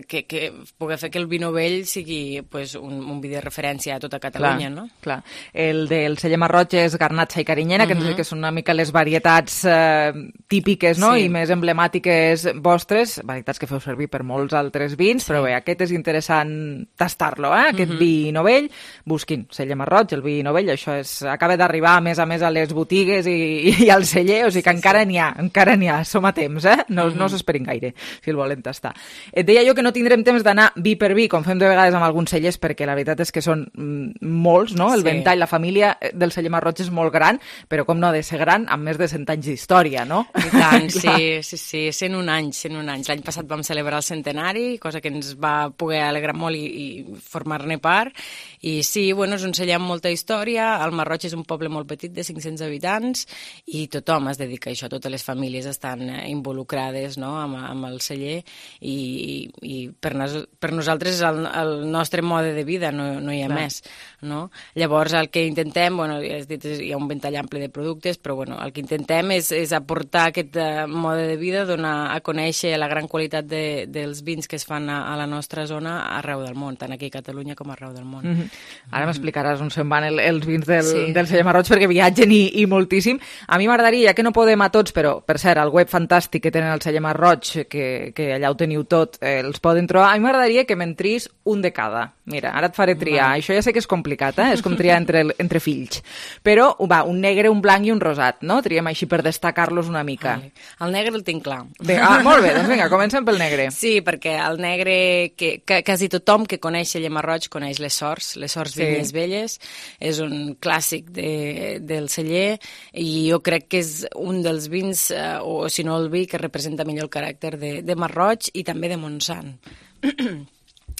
que, que, poder fer que el vi novell sigui pues, un, un vi de referència a tota Catalunya, clar, no? Clar. El del celler Marroig és garnatxa i carinyena, que uh -huh. que són una mica les varietats eh, típiques, no? Sí. I més emblemàtiques vostres, varietats que feu servir per molts altres vins, sí. Però bé, aquest és interessant tastar-lo, eh? Aquest uh -huh. vi novell. Busquin celler Marroig, el vi novell, això és, acaba d'arribar a més a més a les botigues i, i al celler, o sigui que sí, encara sí. n'hi ha, encara n'hi ha, som a temps, eh? No, uh -huh. no s'esperin gaire, si el volen tastar. Et deia jo que no tindrem temps d'anar vi per vi, com fem de vegades amb alguns cellers, perquè la veritat és que són mm, molts, no? El Sí. ventall, la família del celler Marroig és molt gran, però com no ha de ser gran, amb més de cent anys d'història, no? I tant, sí, sí, sí, cent un anys, cent un anys. L'any passat vam celebrar el centenari, cosa que ens va poder alegrar molt i, i formar-ne part, i sí, bueno, és un celler amb molta història, el Marroig és un poble molt petit de cinc-cents habitants, i tothom es dedica a això, totes les famílies estan eh, involucrades, no?, amb, amb el celler, i, i per, nos, per nosaltres és el, el nostre mode de vida, no, no hi ha Clar. més, no? Llavors, el que intentem, bueno, ja has dit, hi ha un ventall ampli de productes, però bueno, el que intentem és, és aportar aquest uh, mode de vida, donar a conèixer la gran qualitat de, dels vins que es fan a, a la nostra zona arreu del món, tant aquí a Catalunya com arreu del món. Mm -hmm. Ara m'explicaràs on se'n van el, els vins del, Sí. del celler Marroig, perquè viatgen i, i moltíssim. A mi m'agradaria, ja que no podem a tots, però, per cert, el web fantàstic que tenen el celler Marroig, que, que allà ho teniu tot, eh, els poden trobar, a mi m'agradaria que me'n tris un de cada. Mira, ara et faré triar. Va. Això ja sé que és complicat, eh? És com triar entre, entre fills. Però, va, un negre, un blanc i un rosat, no? Triem així per destacar-los una mica. Vale. El negre el tinc clar. Bé, ah, molt bé, doncs vinga, comencem pel negre. Sí, perquè el negre, que, que quasi tothom que coneix celler Marroig coneix les Sors, les Sors Sí. Vinyes Velles, és un clàssic de, del celler, i jo crec que és un dels vins, eh, o si no el vi, que representa millor el caràcter de, de Marroig i també de Montsant.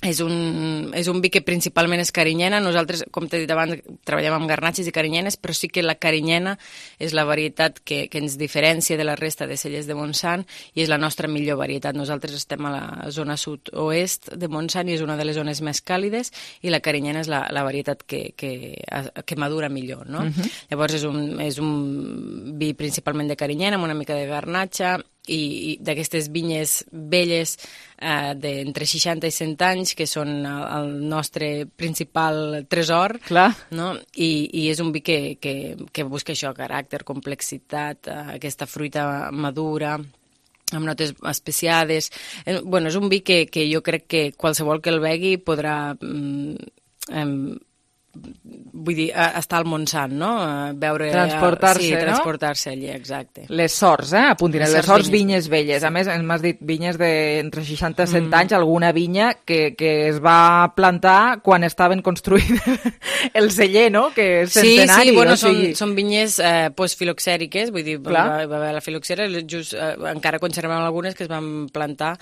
És un, és un vi que principalment és carinyena. Nosaltres, com t'he dit abans, treballem amb garnatxes i carinyenes, però sí que la carinyena és la varietat que, que ens diferencia de la resta de cellers de Montsant i és la nostra millor varietat. Nosaltres estem a la zona sud-oest de Montsant i és una de les zones més càlides, i la carinyena és la, la varietat que, que, que madura millor, no? Mhm. Llavors és un, és un vi principalment de carinyena, amb una mica de garnatxa, i, i d'aquestes vinyes velles eh, d'entre seixanta i cent anys, que són el, el nostre principal tresor. Clar. No? I, i és un vi que, que, que busca això, caràcter, complexitat, eh, aquesta fruita madura, amb notes especiades. Eh, bueno, és un vi que, que jo crec que qualsevol que el begui podrà... Mm, eh, vull dir, estar al Montsant, no? Veure... Transportar-se, sí, no? transportar-se allí, exacte. Les Sors, eh? Apuntin, les, les Sors Vinyes Velles. Sí. A més, m'has dit vinyes d'entre seixanta i cent Mm. anys, alguna vinya que, que es va plantar quan estaven construint el celler, no? Que és centenari. Sí, sí, bueno, o sigui... són, són vinyes eh, postfiloxèriques, vull dir, Clar. va, va haver la filoxera, just, eh, encara conservem algunes que es van plantar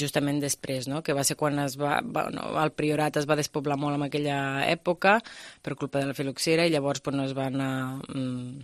justament després, no? Que va ser quan es va, va, no, el priorat es va despoblar molt en aquella època, per culpa de la filoxera, i llavors pues, no es van anar mm,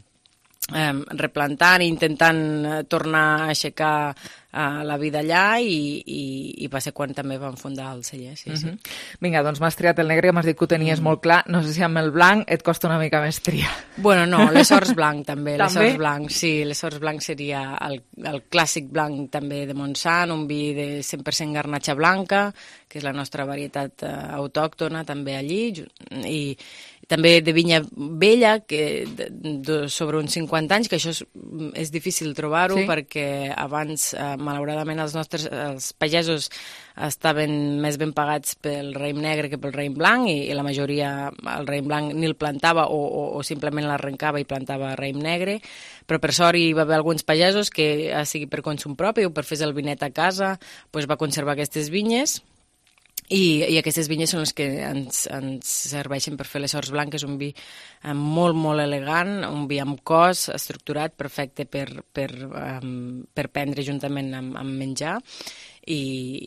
eh, replantant i intentant eh, tornar a aixecar eh, la vida allà, i, i, i va ser quan també van fundar el celler, sí, sí. Mm -hmm. Vinga, doncs m'has triat el negre, m'has dit que ho tenies mm. molt clar. No sé si amb el blanc et costa una mica més triar. Bueno, no, les Sors blanc també, les També? Sors blanc, sí, les Sors blanc seria el, el clàssic blanc també de Montsant, un vi de cent per cent garnatxa blanca, que és la nostra varietat eh, autòctona també allí, i també de vinya vella, que de, de, sobre uns cinquanta anys, que això és, és difícil trobar-ho, Sí. perquè abans, eh, malauradament, els nostres els pagesos estaven més ben pagats pel raïm negre que pel raïm blanc, i, i la majoria el raïm blanc ni el plantava o, o, o simplement l'arrencava i plantava raïm negre, però per sort hi va haver alguns pagesos que, sigui per consum propi o per fer el vinet a casa, doncs va conservar aquestes vinyes, I, i aquestes vinyes són les que ens, ens serveixen per fer les Horts Blanques, un vi eh, molt, molt elegant, un vi amb cos, estructurat, perfecte per, per, um, per prendre juntament amb, amb menjar. I,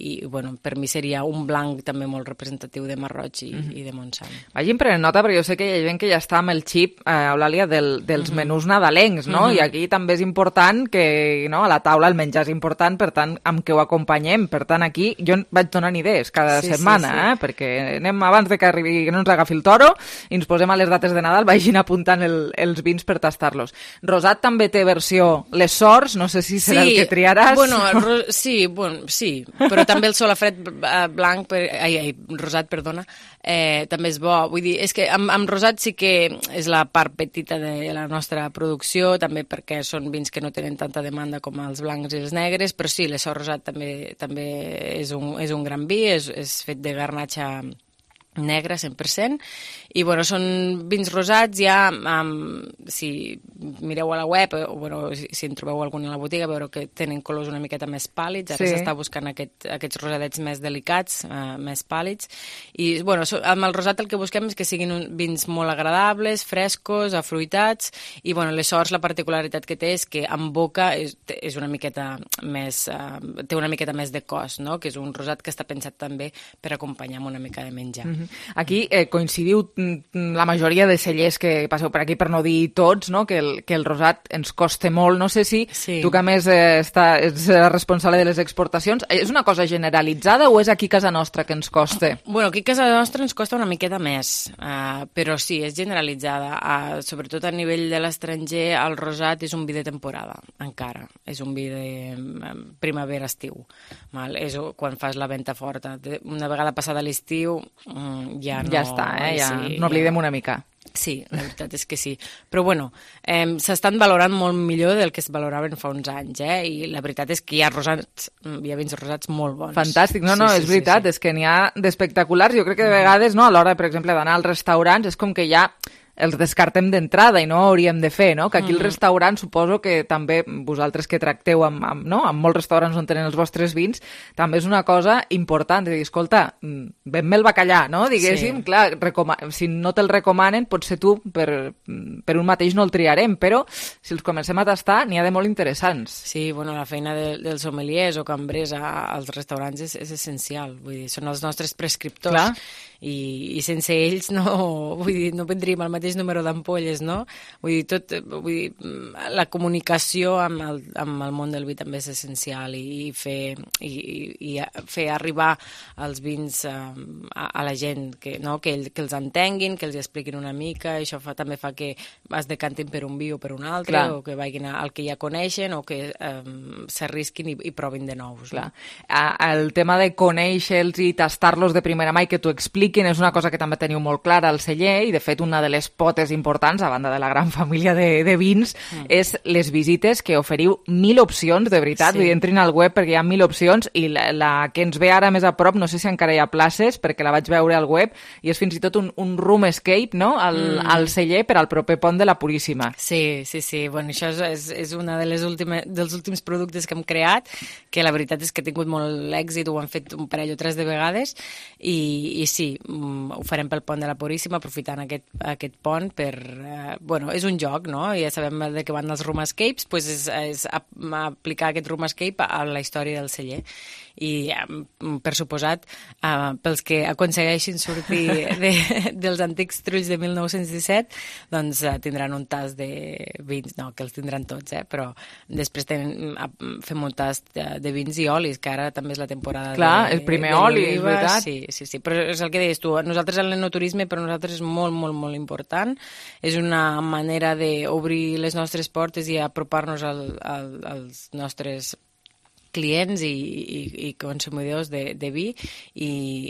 i bueno, per mi seria un blanc també molt representatiu de Marroig i, mm-hmm. i de Montsant. Vagin prenent nota, perquè jo sé que hi ha gent que ja està amb el xip, eh, Eulàlia, del, dels mm-hmm. menús nadalencs, no? Mm-hmm. I aquí també és important que, no, a la taula el menjar és important, per tant, amb què ho acompanyem. Per tant, aquí jo vaig donant idees cada sí, setmana, sí, sí. Eh? Perquè anem abans de que arribi, que no ens agafi el toro, i ens posem a les dates de Nadal, vagin apuntant el, els vins per tastar-los. Rosat també té versió Les Sorts, no sé si serà sí, el que triaràs. Bueno, ro- sí, bueno, sí, Sí, però també el solafred blanc, per, ai, ai, rosat, perdona, eh, també és bo. Vull dir, és que amb, amb rosat sí que és la part petita de la nostra producció, també perquè són vins que no tenen tanta demanda com els blancs i els negres, però sí, l'Essor rosat també, també és, un, és un gran vi, és, és fet de garnatxa negre, cent per cent, i bueno, són vins rosats ja, um, si mireu a la web, o bueno, si, si en trobeu algun a la botiga, veureu que tenen colors una miqueta més pàl·lids, ara s'està sí. buscant aquest, aquests rosadets més delicats, uh, més pàl·lids, i bueno, so, amb el rosat el que busquem és que siguin un, vins molt agradables, frescos, afruitats, i bueno, les Sorts, la particularitat que té és que en boca és, és una miqueta més, uh, té una miqueta més de cos, no? Que és un rosat que està pensat també per acompanyar amb una mica de menjar. Mm-hmm. Aquí eh, coincidiu la majoria de cellers que passeu per aquí, per no dir tots, no? que, el, que el rosat ens costa molt. No sé si sí. tu que a més eh, està, ets responsable de les exportacions, és una cosa generalitzada o és aquí a casa nostra que ens costa? Bueno, aquí a casa nostra ens costa una miqueta més, uh, però sí, és generalitzada. Uh, sobretot a nivell de l'estranger, el rosat és un vi de temporada, encara. És un vi de uh, primavera-estiu. Val? És quan fas la venta forta. Una vegada passada l'estiu... Um, Ja, no, ja està, eh? ja, sí, n'oblidem ja. una mica. Sí, la veritat és que sí. Però bueno, eh, s'estan valorant molt millor del que es valoraven fa uns anys, eh? I la veritat és que hi ha rosats, hi ha vins rosats molt bons. Fantàstic, no, no, sí, és sí, veritat, sí, sí. És que n'hi ha d'espectaculars. Jo crec que de vegades, no, a l'hora, per exemple, d'anar als restaurants, és com que ja els descartem d'entrada i no hauríem de fer, no? Que aquí mm. el restaurant, suposo que també vosaltres que tracteu amb, amb, no? amb molts restaurants on tenen els vostres vins, també és una cosa important, de dir, escolta, ven-me el bacallà, no? Diguéssim, sí. clar, recoma- si no te'l recomanen, potser tu per, per un mateix no el triarem, però si els comencem a tastar, n'hi ha de molt interessants. Sí, bueno, la feina de, dels sommeliers o cambrers a, als restaurants és, és essencial, vull dir, són els nostres prescriptors. Clar. I, i sense ells no, vull dir, no vendríem el mateix número d'ampolles, no? Vull dir, tot, vull dir, la comunicació amb el, amb el món del vi també és essencial i fer, i, i fer arribar els vins a, a, a la gent, que, no? que, que els entenguin, que els expliquin una mica, i això fa, també fa que es decantin per un vi o per un altre, Clar. o que vagin al que ja coneixen, o que um, s'arrisquin i, i provin de nous. Clar. No? El tema de conèixer-los i tastar-los de primera mà i que t'ho expliquin és una cosa que també teniu molt clara al celler, i de fet una de les potes importants, a banda de la gran família de, de vins, mm. és les visites, que oferiu mil opcions, de veritat, sí. entrin al web perquè hi ha mil opcions, i la, la que ens ve ara més a prop, no sé si encara hi ha places, perquè la vaig veure al web, i és fins i tot un, un room escape, no?, al, mm. al celler per al proper pont de la Puríssima. Sí, sí, sí, bueno, això és, és una de les últimes, dels últims productes que hem creat, que la veritat és que ha tingut molt èxit, ho han fet un parell o tres de vegades, i, i sí, ho farem pel pont de la Puríssima, aprofitant aquest, aquest pont per... Eh, bueno, és un joc, no? Ja sabem de què van els room escapes, doncs és, és aplicar aquest room escape a la història del celler. I, per suposat, eh, pels que aconsegueixin sortir de, dels antics trulls de mil nou-cents disset, doncs eh, tindran un tast de vins, no, que els tindran tots, eh? Però després tenen, fem un tast de, de vins i olis, que ara també és la temporada. Clar, de, el primer de oli, és veritat. Sí, sí, sí, però és el que deies tu, nosaltres l'enoturisme per nosaltres és molt, molt, molt important, és una manera d'obrir les nostres portes i apropar-nos al, al, als nostres clients i, i, i consumidors de, de vi, i,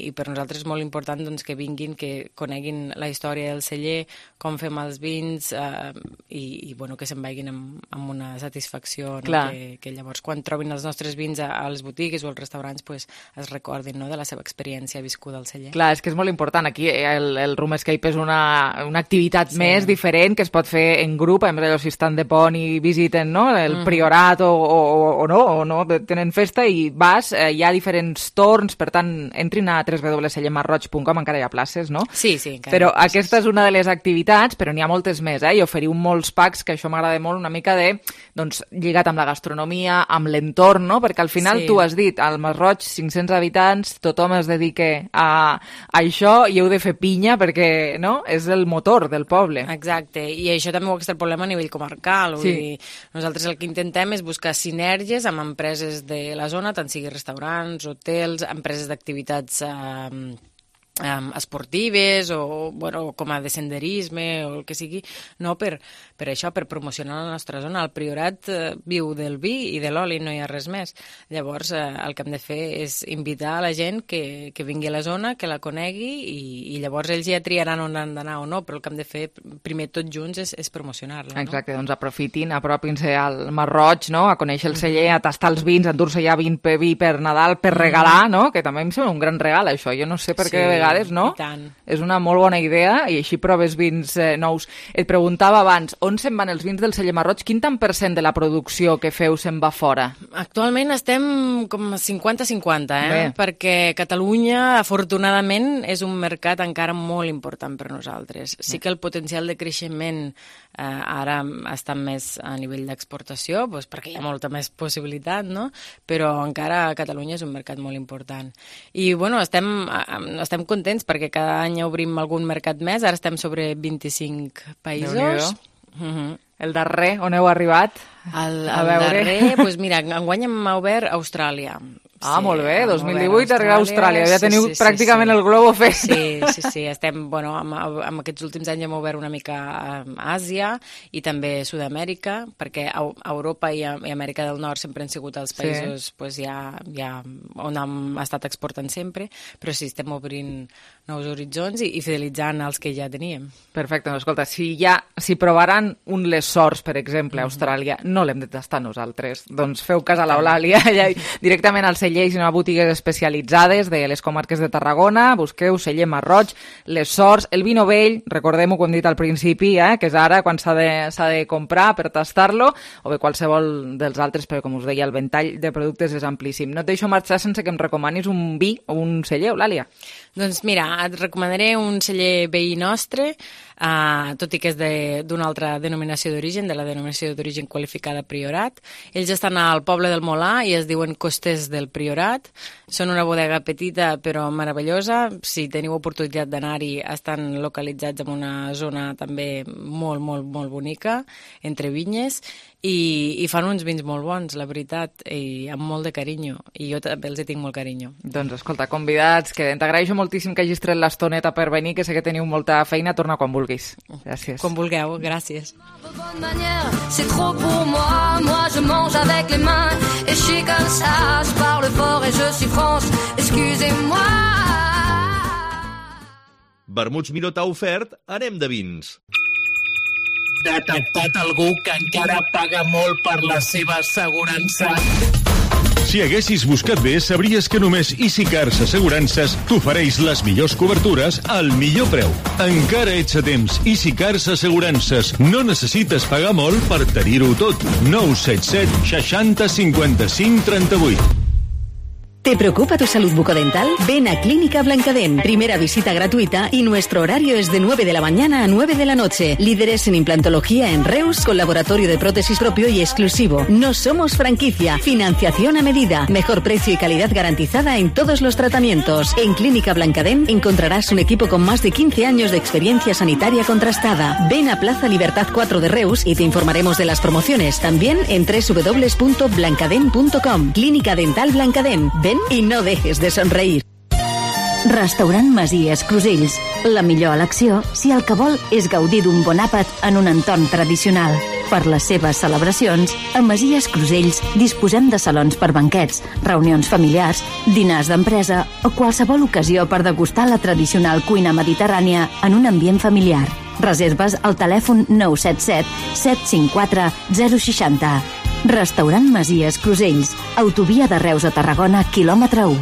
i per nosaltres és molt important doncs, que vinguin, que coneguin la història del celler, com fem els vins, eh, i, i bueno, que se'n vagin amb, amb una satisfacció, no? que, que llavors quan trobin els nostres vins a, a les botigues o als restaurants pues, es recordin, no? de la seva experiència viscuda al celler. Clar, és que és molt important. Aquí el, el Room Escape és una, una activitat sí. més diferent que es pot fer en grup, a més allò si estan de pont i visiten no? el mm. priorat o, o, o no, o no, tenen festa i vas, eh, hi ha diferents torns, per tant, entrin a w w w punt cellemarroig punt com, encara hi ha places, no? Sí, sí. Encara però aquesta és una de les activitats, però n'hi ha moltes més, eh? I oferiu molts packs, que això m'agrada molt, una mica de, doncs, lligat amb la gastronomia, amb l'entorn, no? Perquè al final sí. Tu has dit, al Masroig, cinc-cents habitants, tothom es dedica a, a això i heu de fer pinya perquè, no? És el motor del poble. Exacte, i això també ho extrapolem a nivell comarcal. Vull Sí. dir, nosaltres el que intentem és buscar sinergies amb empreses de la zona, tant sigui restaurants, hotels, empreses d'activitats eh, Um, esportives o bueno, com a de senderisme o el que sigui, no, per, per això, per promocionar la nostra zona. El Priorat eh, viu del vi i de l'oli, no hi ha res més. Llavors, eh, el que hem de fer és invitar a la gent que, que vingui a la zona, que la conegui i, i llavors ells ja triaran on han d'anar o no, però el que hem de fer primer tots junts és, és promocionar-la. Exacte, no? Doncs aprofitin, apropin-se al Masroig, no? A conèixer el celler, a tastar els vins, a endur-se ja vin per vi per Nadal, per regalar, no? Que també em sembla un gran regal, això. Jo no sé per què de vegades, no? És una molt bona idea i així proves vins eh, nous. Et preguntava abans, on se'n van els vins del celler Masroig? Quin tant per cent de la producció que feu se'n va fora? Actualment estem com cinquanta cinquanta, eh? Bé. Perquè Catalunya, afortunadament, és un mercat encara molt important per nosaltres. Sí que el potencial de creixement eh, ara està més a nivell d'exportació, doncs perquè hi ha molta més possibilitat, no? Però encara Catalunya és un mercat molt important. I, bueno, estem, estem contents perquè cada any obrim algun mercat més, ara estem sobre vint-i-cinc països. Uh-huh. El darrer, on heu arribat? El, a el veure. darrer, doncs mira, enguany hem obert Austràlia. Ah, Sí, molt bé, hem dos mil obert divuit arribar a Austràlia, ja sí, teniu sí, sí, pràcticament sí. el globo fet. Sí, sí, sí, estem, bueno, amb, amb aquests últims anys hem obert una mica a Àsia i també Sud-amèrica, perquè a Europa i, a, i Amèrica del Nord sempre han sigut els països Sí. pues, ja, ja on hem estat exportant sempre, però sí, estem obrint nous horitzons i, i fidelitzant els que ja teníem. Perfecte, no, escolta, si ja si provaran un les sorts, per exemple, a Austràlia, no l'hem de tastar nosaltres. Doncs feu cas a l'Eulàlia, allà directament al celler i a botigues especialitzades de les comarques de Tarragona, busqueu celler Masroig, les sorts, el vi novell, recordem-ho que hem dit al principi, eh, que és ara quan s'ha de, s'ha de comprar per tastar-lo, o bé qualsevol dels altres, però com us deia, el ventall de productes és amplíssim. No et deixo marxar sense que em recomanis un vi o un celler, Eulàlia. Doncs mira, et recomanaré un celler veí nostre, uh, tot i que és d'una altra denominació d'origen, de la denominació d'origen qualificada Priorat. Ells estan al poble del Molà i es diuen Costers del Priorat. Són una bodega petita però meravellosa. Si teniu oportunitat d'anar-hi, estan localitzats en una zona també molt, molt, molt bonica, entre vinyes, i, i fan uns vins molt bons, la veritat, i amb molt de carinyo. I jo també els hi tinc molt carinyo. Doncs escolta, convidats, que t'agraeixo moltíssim que hagis tret l'estoneta per venir, que sé que teniu molta feina, torna quan vulguis. Gràcies. Quan vulgueu, gràcies. C'est trop pour moi, moi je mange avec les mains et je suis comme ça, je parle fort et je suis France, excusez-moi. Vermuts Miró t'ha ofert Anem de vins. Detectat algú que encara paga molt per la seva assegurança. Si haguessis buscat bé, sabries que només Easy Cars Assegurances t'ofereix les millors cobertures al millor preu. Encara ets a temps. Easy Cars Assegurances. No necessites pagar molt per tenir-ho tot. nou set set seixanta cinquanta cinc trenta vuit. ¿Te preocupa tu salud bucodental? Ven a Clínica Blancadem. Primera visita gratuita y nuestro horario es de nueve de la mañana a nueve de la noche. Líderes en implantología en Reus, con laboratorio de prótesis propio y exclusivo. No somos franquicia. Financiación a medida. Mejor precio y calidad garantizada en todos los tratamientos. En Clínica Blancadem encontrarás un equipo con más de quince años de experiencia sanitaria contrastada. Ven a Plaza Libertad cuatro de Reus y te informaremos de las promociones. También en doble u doble u doble u punto blancadem punto com. Clínica Dental Blancadem. Ven i no dejes de somreir. Restaurant Masies Crusells. La millor elecció si el que vol és gaudir d'un bon àpat en un entorn tradicional. Per les seves celebracions, a Masies Crusells disposem de salons per banquets, reunions familiars, dinars d'empresa o qualsevol ocasió per degustar la tradicional cuina mediterrània en un ambient familiar. Reserves al telèfon nou set set set cinc quatre zero sis zero. Restaurant Masies Crusells, autovia de Reus a Tarragona, quilòmetre u.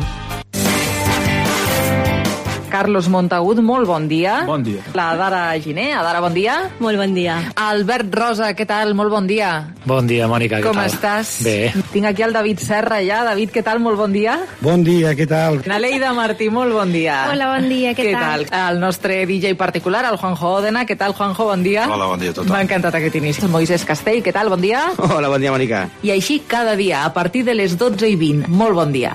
Carlos Montagut, molt bon dia. Bon dia. La Dara Giner, Adara, bon dia. Molt bon dia. Albert Rosa, què tal? Molt bon dia. Bon dia, Mònica, què Com tal? estàs? Bé. Tinc aquí el David Serra ja. David, què tal? Molt bon dia. Bon dia, què tal? La Leida Martí, molt bon dia. Hola, bon dia, què, què tal? tal? El nostre D J particular, el Juanjo Òdena. Què tal, Juanjo? Bon dia. Hola, bon dia a tothom. M'ha encantat aquest inici. El Moisés Castell, què tal? Bon dia. Hola, bon dia, Mònica. I així cada dia, a partir de les dotze i vint. Molt bon dia.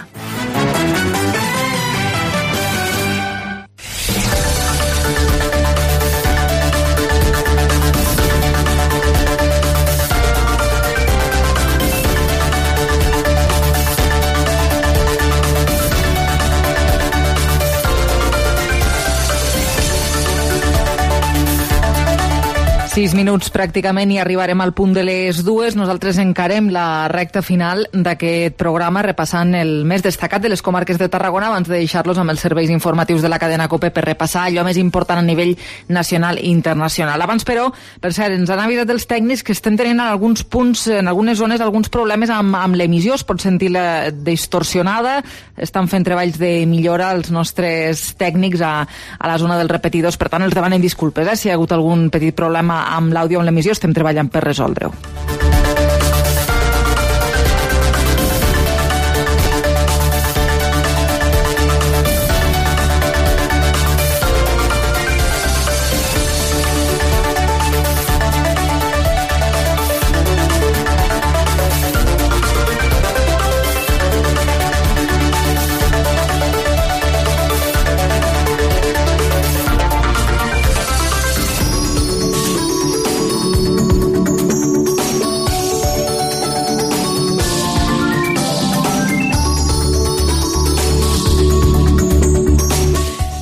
Sis minuts pràcticament i arribarem al punt de les dues. Nosaltres encarem la recta final d'aquest programa repassant el més destacat de les comarques de Tarragona abans de deixar-los amb els serveis informatius de la cadena COPE per repassar allò més important a nivell nacional i internacional. Abans, però, per cert, ens han avisat els tècnics que estem tenint en alguns punts, en algunes zones, alguns problemes amb, amb l'emissió. Es pot sentir la distorsionada. Estan fent treballs de millora els nostres tècnics a, a la zona dels repetidors. Per tant, els demanem disculpes, eh, si hi ha hagut algun petit problema amb l'àudio o amb l'emissió. Estem treballant per resoldre-ho.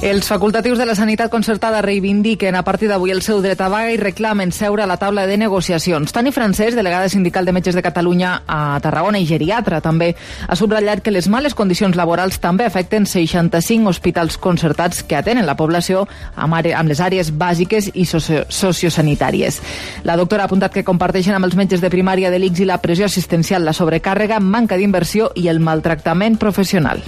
Els facultatius de la sanitat concertada reivindiquen a partir d'avui el seu dret a vaga i reclamen seure a la taula de negociacions. Tani Francesc, delegada sindical de metges de Catalunya a Tarragona i geriatra també, ha subratllat que les males condicions laborals també afecten seixanta-cinc hospitals concertats que atenen la població amb, amb les àrees bàsiques i socio sociosanitàries. La doctora ha apuntat que comparteixen amb els metges de primària de l'I C S I la pressió assistencial, la sobrecàrrega, manca d'inversió i el maltractament professional.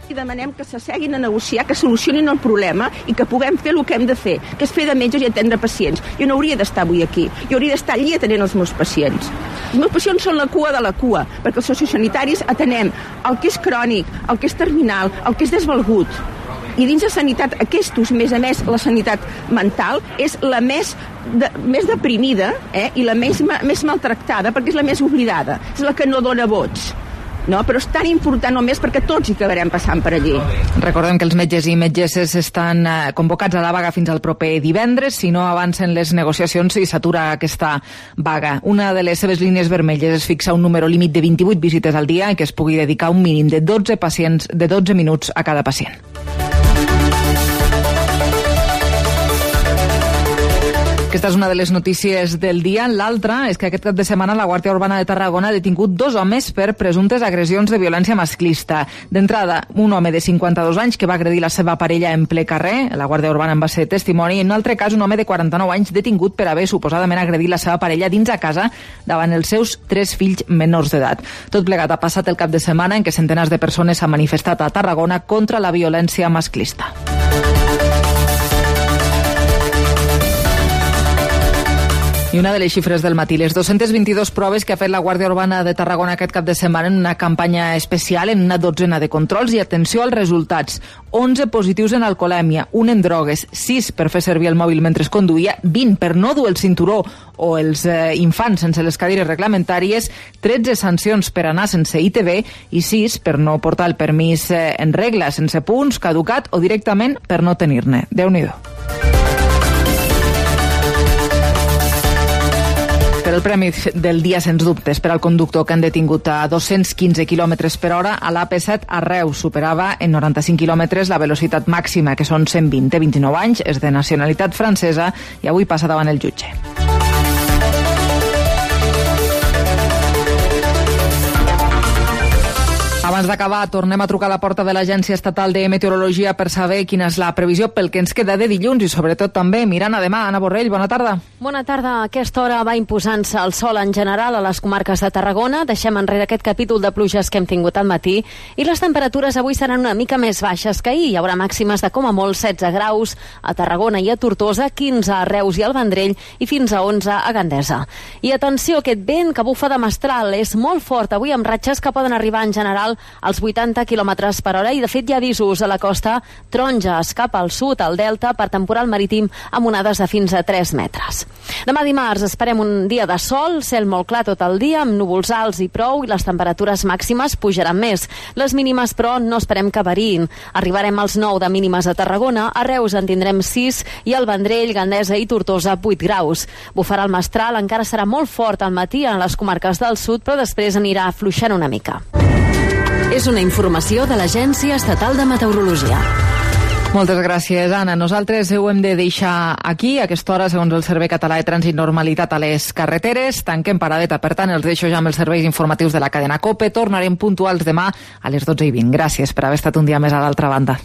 I demanem que s'asseguin a negociar, que solucionin el problema i que puguem fer el que hem de fer, que és fer de metges i atendre pacients. Jo no hauria d'estar avui aquí, jo hauria d'estar allí atenent els meus pacients. Els meus pacients són la cua de la cua, perquè els sociosanitaris atenem el que és crònic, el que és terminal, el que és desvalgut. I dins de sanitat, aquestos, més a més, la sanitat mental és la més, de, més deprimida eh, i la més, més maltractada, perquè és la més oblidada, és la que no dona vots. No, però és tan important només perquè tots hi acabarem passant per allí. Recordem que els metges i metgesses estan eh, convocats a la vaga fins al proper divendres, si no avancen les negociacions i s'atura aquesta vaga. Una de les seves línies vermelles és fixar un número límit de vint-i-vuit visites al dia i que es pugui dedicar un mínim de dotze pacients de dotze minuts a cada pacient. Aquesta és una de les notícies del dia. L'altra és que aquest cap de setmana la Guàrdia Urbana de Tarragona ha detingut dos homes per presumptes agressions de violència masclista. D'entrada, un home de cinquanta-dos anys que va agredir la seva parella en ple carrer. La Guàrdia Urbana en va ser testimoni. En un altre cas, un home de quaranta-nou anys detingut per haver suposadament agredit la seva parella dins a casa davant els seus tres fills menors d'edat. Tot plegat ha passat el cap de setmana en què centenars de persones s'han manifestat a Tarragona contra la violència masclista. I una de les xifres del matí, les dos-centes vint-i-dues proves que ha fet la Guàrdia Urbana de Tarragona aquest cap de setmana en una campanya especial, en una dotzena de controls, i atenció als resultats. onze positius en alcoholèmia, un en drogues, sis per fer servir el mòbil mentre es conduïa, vint per no dur el cinturó o els eh, infants sense les cadires reglamentàries, tretze sancions per anar sense I T B i sis per no portar el permís eh, en regla, sense punts, caducat o directament per no tenir-ne. Déu-n'hi-do. Per el premi del dia, sens dubtes, per al conductor que han detingut a dos-cents quinze quilòmetres per hora a l'A P set a Reus. Superava en noranta-cinc quilòmetres la velocitat màxima, que són cent vint. Té vint-i-nou anys, és de nacionalitat francesa i avui passa davant el jutge. Abans d'acabar, tornem a trucar a la porta de l'Agència Estatal de Meteorologia per saber quina és la previsió pel que ens queda de dilluns i sobretot també mirant a demà. Anna Borrell, bona tarda. Bona tarda. A aquesta hora va imposant-se el sol en general a les comarques de Tarragona. Deixem enrere aquest capítol de pluges que hem tingut al matí i les temperatures avui seran una mica més baixes que ahir. Hi haurà màximes de com a molt setze graus a Tarragona i a Tortosa, quinze a Reus i al Vendrell i fins a onze a Gandesa. I atenció, aquest vent que bufa de mestral és molt fort avui amb ratxes que poden arribar en general als vuitanta quilòmetres per hora i de fet hi ha avisos a la costa taronges cap al sud, al delta, per temporal marítim amb onades de fins a tres metres. Demà dimarts esperem un dia de sol, cel molt clar tot el dia, amb núvols alts i prou i les temperatures màximes pujaran més. Les mínimes, però, no esperem que variïn. Arribarem als nou de mínimes a Tarragona, a Reus en tindrem sis i al Vendrell, Gandesa i Tortosa vuit graus. Bufarà el mestral, encara serà molt fort al matí en les comarques del sud, però després anirà afluixant una mica. És una informació de l'Agència Estatal de Meteorologia. Moltes gràcies, Anna. Nosaltres ho hem de deixar aquí. A aquesta hora, segons el Servei Català de Trànsit, normalitat a les carreteres. Tanquem paradeta, per tant, els deixo ja amb els serveis informatius de la cadena COPE. Tornarem puntuals demà a les dotze i vint. Gràcies per haver estat un dia més a l'altra banda.